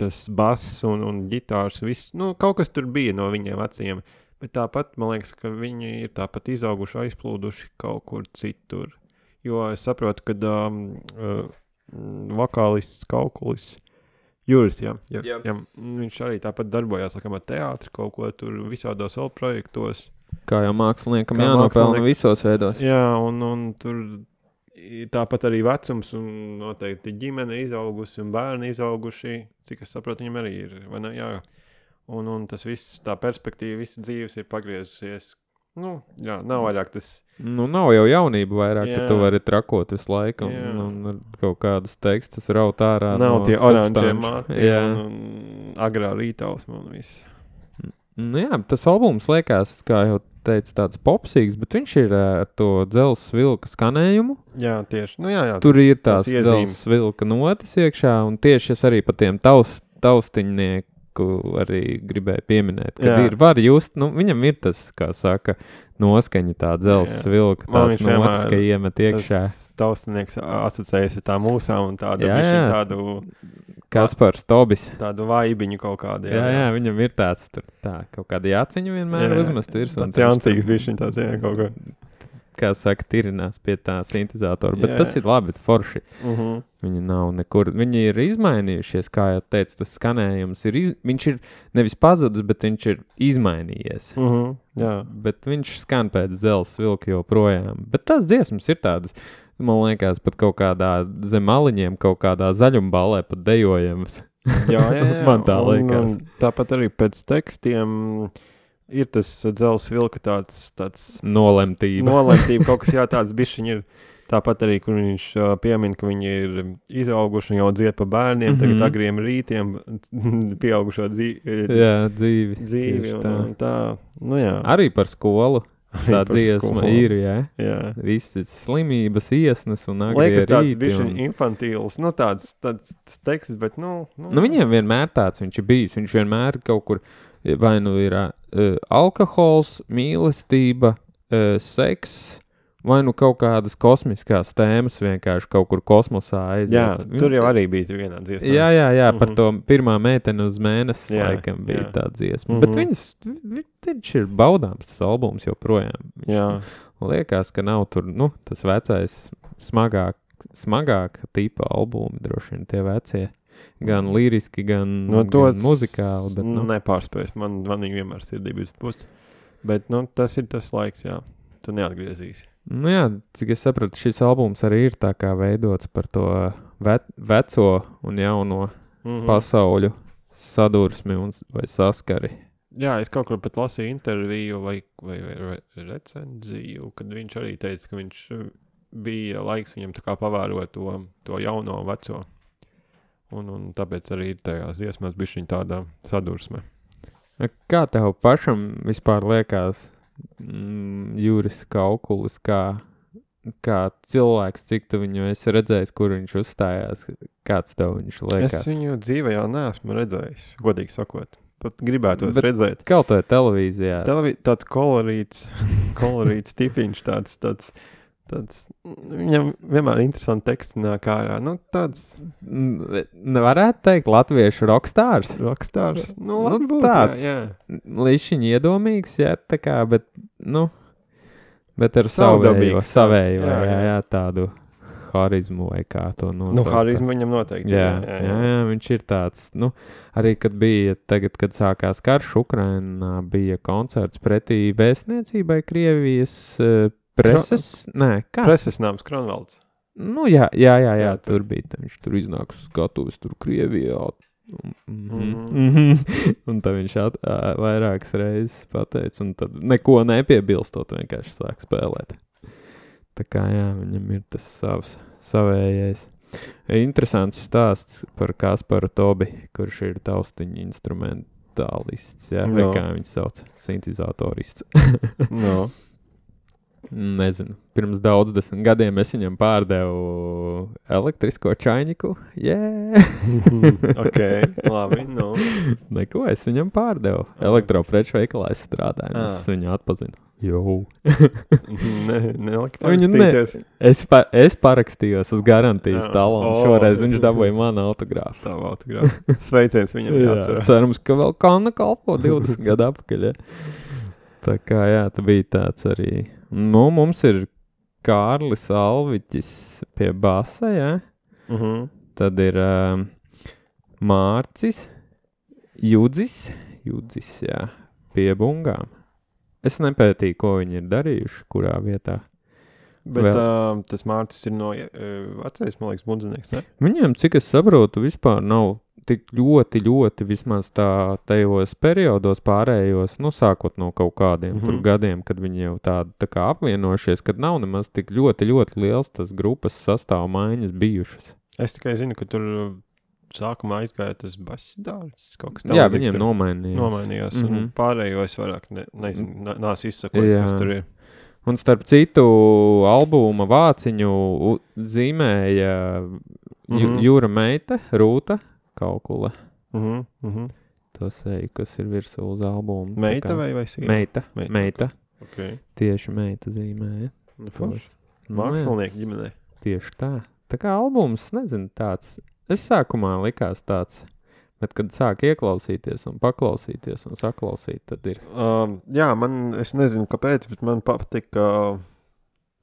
tas bass un ģitārs, viss, kaut kas tur bija no viņiem vecajiem. Bet tāpat, man liekas, ka viņi ir tāpat izauguši, aizplūduši kaut kur citur. Jo es saprotu, ka vokālists Kaukulis, Juris, viņš arī tāpat darbojās, ar teātri kaut ko tur visādos vēl projektos. Kā jau māksliniekam jānopelna visos veidos. Jā, un tur tāpat arī vecums un noteikti ģimene izaugusi un bērni izauguši, cik es saprotu, viņam arī ir, vai ne, jā. Un tas viss, tā perspektīva, visa dzīves ir pagriezusies. Nav vairāk tas... nav jau jaunība vairāk, ka tu vari trakot visu laiku un kaut kādus tekstus raut ārā nav tie oranžie mati un agrā rītausma un viss. Tas albums liekas, kā jau teica, tāds popsīgs, bet viņš ir ar to Dzelzs vilka skanējumu. Jā, tieši. Tur ir tās Dzelzs vilka notis iekšā, un tieši es arī pa tiem taustiņnieku arī gribēju pieminēt, kad var just, viņam ir tas, kā saka, noskaņa tā Dzelzs vilka, tās notis, ka iemet iekšā. Tas taustinieks asociējas ar tā mūsām un tādu tādu... Kaspars Tobis. Tādu vaibiņu kaut kādu. Jā, viņam ir tāds, kaut kāda jāciņu vienmēr uzmest virs. Tāds jancīgs bišķiņ tāds, kaut kā. Kā saka, tirinās pie tā sintezatora, bet tas ir labi, forši. Viņi nav nekur, viņi ir izmainījušies, kā jau teicu, tas skanējums viņš ir nevis pazudis, bet viņš ir izmainījies. Bet viņš skan pēc Dzelzs vilka joprojām. Bet tās dziesmas ir tādas, man liekas, pat kaut kādā zem maliņiem, kaut kādā zaļumballē pat dejojamas. Jā. Man tā liekas. Un tāpat arī pēc tekstiem... Ir tas Dzelzs vilka tāds nolemtība, kaut kas tāds bišķiņ ir. Tāpat arī, kur viņš piemin, ka viņi ir izauguši un jau dzied pa bērniem, tagad agriem rītiem pieaugušo dzīvi. Un tā, Arī par skolu. Tā dziesma ir, jā. Visas slimības iesnas un agrie rīti. Liekas tāds bišķiņ infantīls, tāds teksts, bet viņiem vienmēr tāds viņš ir bijis, viņš vienmēr kaut kur, vai ir alkohols, mīlestība, seks, vai kaut kādas kosmiskās tēmas vienkārši kaut kur kosmosā aiziet. Jā, tur jau arī bija vienā dziesmā. Jā, par to pirmā meiteni uz mēnesi laikam bija tā dziesma. Bet viņš ir baudāms, tas albums joprojām. Liekas, ka nav tur, tas vecais smagāk tipa albumi, droši vien tie vecie. Gan liriski, gan muzikāli. Bet, nepārspējas, man viņi vienmēr sirdības pust. Bet, tas ir tas laiks, jā. Tu neatgriezīsi. Cik es sapratu, šis albums arī ir tā kā veidots par to veco un jauno pasauļu sadursmi vai saskari. Jā, es kaut kur pat lasīju interviju vai recenziju, kad viņš arī teica, ka viņš bija laiks viņam tā kā pavērot to jauno veco. Un tāpēc arī ir tajās dziesmās bišķiņ tāda sadursme. Kā tev pašam vispār liekas, Juris Kaukulis, kā cilvēks, cik tu viņu esi redzējis, kur viņš uzstājās, kāds tev viņš liekas? Es viņu dzīvē jau neesmu redzējis, godīgi sakot. Pat gribētos redzēt. Kaut vai televīzijā. Tāds kolorīts tipiņš, tāds tāds, viņam vienmēr interesanti teksti nāk ārā. Nu, tāds Varētu teikt latviešu rockstārs. rockstārs. Nu, Nu, varbūt, tāds. jā. Līdšiņ iedomīgs, jā, tā kā, bet, nu, bet ar savējo, Savdabīgs tāds, jā, tādu harizmu vai kā to nosaukt. Nu, harizmu viņam noteikti. Jā, viņš ir tāds, nu, arī kad bija, tagad, kad sākās karš Ukrainā, bija koncerts pretī vēstniecībai Krievijas preses, Preses nams Kronvalds. Nu, jā, Jā, tur bija, viņš tur iznāks skatuves, tur Krievijā, un tad viņš vairākas reizes pateica, un tad neko nepiebilstot, vienkārši sāk spēlēt. Tā kā, jā, viņam ir tas savējais. Interesants stāsts par Kasparu Tobi, kurš ir taustiņu instrumentālists, jā, vai kā viņš sauc, sintizatorists. No. Nezinu, pirms 10 gadiem es viņam pārdevu elektrisko čainiku. Ok, labi, nu. Neko, es viņam pārdevu. Elektropreču veikalā es strādāju, es viņu atpazinu. Jau. Neliki Viņu parakstīties. Es parakstījos uz garantijas talonu. Šoreiz viņš dabūja manu autogrāfu. Tavu autogrāfu. Sveiciens viņam jāatcerās. Cerams, ka vēl kāna kalpo 20 gadu apakaļ. Ja. Tā kā, jā, tā bija tāds arī. Nu, mums ir Kārlis Alviķis pie basa, jā. Tad ir Mārcis Judzis, jā, pie bungām. Es nepētīju, ko viņi ir darījuši, kurā vietā. Bet tas Mārcis ir no vecais, man liekas, bundzinieks, ne? Viņiem, cik es saprotu, vispār nav tik ļoti vismaz tajos periodos pārējos, nu, sākot no kaut kādiem tur gadiem, kad viņi jau tā kā apvienojušies, kad nav nemaz tik ļoti liels tas grupas sastāv maiņas bijušas. Es tikai zinu, ka tur sākumā aizgāja tas basidārs, kaut kas Jā, viņiem nomainījās. Un pārējo es vairāk nezinu, nāc izsakot, kas tur ir. Un starp citu albuma vāciņu zīmēja Jūra meita, Rūta Kaukula. Tas kas ir virsū uz albumu. Meita vai sīva? Meita. Okay. Tieši meita zīmēja. Mākslinieki ģimenē. Tieši tā. Tā kā albums, nezinu, tāds. Es sākumā likās tāds, bet kad sāk ieklausīties un paklausīties un saklausīt, tad ir. Jā, es nezinu, kāpēc, bet man patika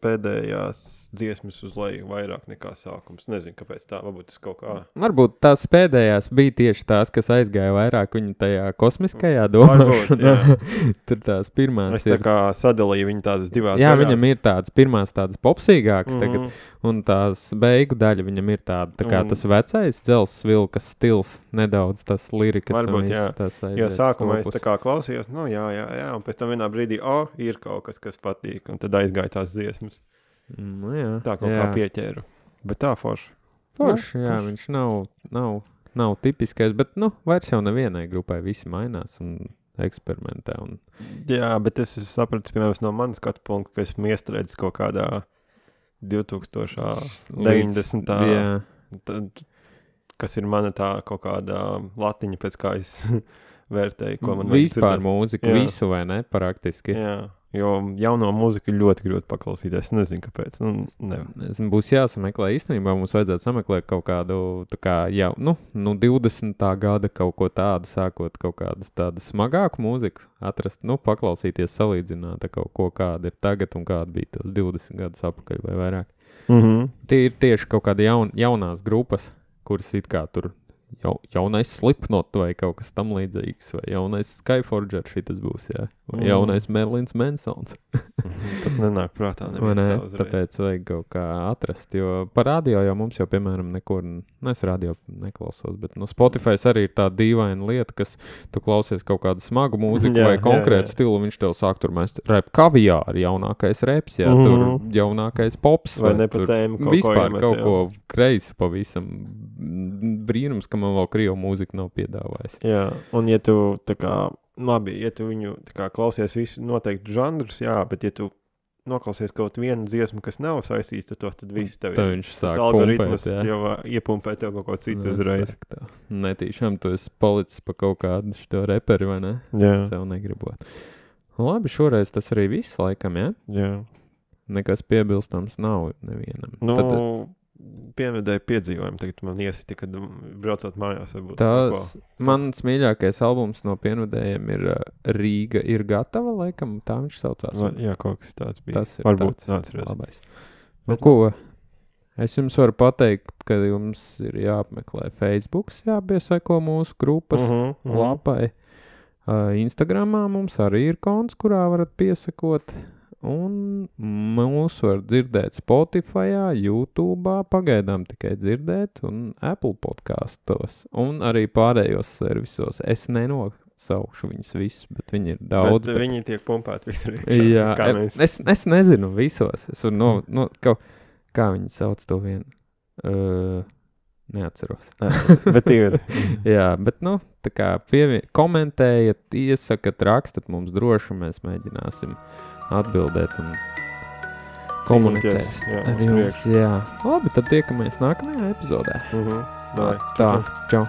pēdējās dziesmas uz leju vairāk nekā sākums. Nezinu, kāpēc tā, varbūt tas kaut kā. Varbūt tās pēdējās bija tieši tās, kas aizgāja vairāk viņa tajā kosmiskajā domāšanā. Tur tās pirmās es tā kā sadalīju viņu tādas divās Jā, daļās. viņam ir tādas pirmās tādas popsīgākas tagad, un tās beigu daļa viņam ir tāda, tā kā tas vecais dzels vilkas stils, nedaudz tas lirikas. Varbūt, un jā. Tas Jo sākumā es tā kā klausījos, nu jā, un pēc tam vienā brīdī, ir kaut kas patīk, un tad aizgāja tās dziesmas. Nu, jā, tā kaut kā pieķēru. Bet tā forši. Forši, jā, viņš nav tipiskais, bet, nu, vairs jau nevienai grupai visi mainās un eksperimentē. Un... Jā, bet es sapratu, piemēram, no manas skatu punkta, ka esmu iestrēdzis kaut kādā 2090. Tad, kas ir mana tā kaut kādā latiņa, pēc kā es vērtēju, ko man vispār mūziku, visu vai ne, praktiski. Jā. Jo jauno mūziku ļoti grūti paklausīties. Nezinu, kāpēc. Nezinu, būs jāsameklē. Īstenībā mums vajadzētu sameklēt kaut kādu, tā kā jau, 20. gada kaut ko tādu, sākot kaut kādas tādas smagāku mūziku, atrast, paklausīties, salīdzināt kaut ko, kāda ir tagad un kāda bija tos 20 gadus apakaļ vai vairāk. Tie ir tieši kaut kādi jaunās grupas, kuras it kā tur jaunais Slipknot vai kaut kas tam līdzīgs, vai jaunais Skyforger šitas būs, jā. Vai jaunais Merlins Mansons. Tad nenāk prātā neviens tā uzreiz. Tāpēc vajag kaut kā atrast, jo par radio jau mums jau, piemēram, nekur, es radio neklausos, bet Spotify arī ir tā dīvaina lieta, kas tu klausies kaut kādu smagu mūziku vai konkrētu stilu, viņš tev sāk tur mest rap kaviāri, jaunākais reps, jā, tur jaunākais pops, vai ne pa tēmu kaut vispār kaut ko kreisi pavisam brīnums, ka man vēl krievu mūzika nav piedāvājis. Jā, un ja tu tā kā, labi, ja tu viņu tā kā klausies visu noteikti žanrus, jā, bet ja tu noklausies kaut vienu dziesmu, kas nav saistīts, tad viss tev ir. Viņš sāk pumpēt, jā. Jau iepumpē tev kaut ko citu uzreiz. Netīšām tu esi palicis pa kaut kādu šo reperi, vai ne? Jā. Sev negribot. Labi, šoreiz tas arī viss laikam, jā? Jā. nekas piebilstams nav nevienam. Nu, Tad, piemedēju piedzīvojumu, tagad man iesiti, kad braucot mājās. Tas mans mīļākais albums no Pienvedējiem ir Rīga ir gatava, laikam, tā viņš saucās. Jā, kaut kas tāds bija. Tas ir varbūt tāds atceros. labais. Nu, ko? Es jums varu pateikt, ka jums ir jāapmeklē Facebooks, jāpieseko mūsu grupas lapai. Instagramā mums arī ir konts, kurā varat piesakot. Un mūs var dzirdēt Spotifyā, YouTube'ā, pagaidām tikai dzirdēt, un Apple podkastos, un arī pārējos servisos. Es nenosaukšu viņus visus, bet viņi ir daudz. Bet viņi tiek pumpēti visur. Jā, es nezinu visos. Es varu, kā viņi sauc to vienu? Neatceros. Bet ir. Jā, bet, tā kā komentējiet, iesakat, rakstat mums droši, mēs mēģināsim atbildēt un komunicēt ar jums. Jā. Labi, tad tiekamies nākamajā epizodē. Tā, čau.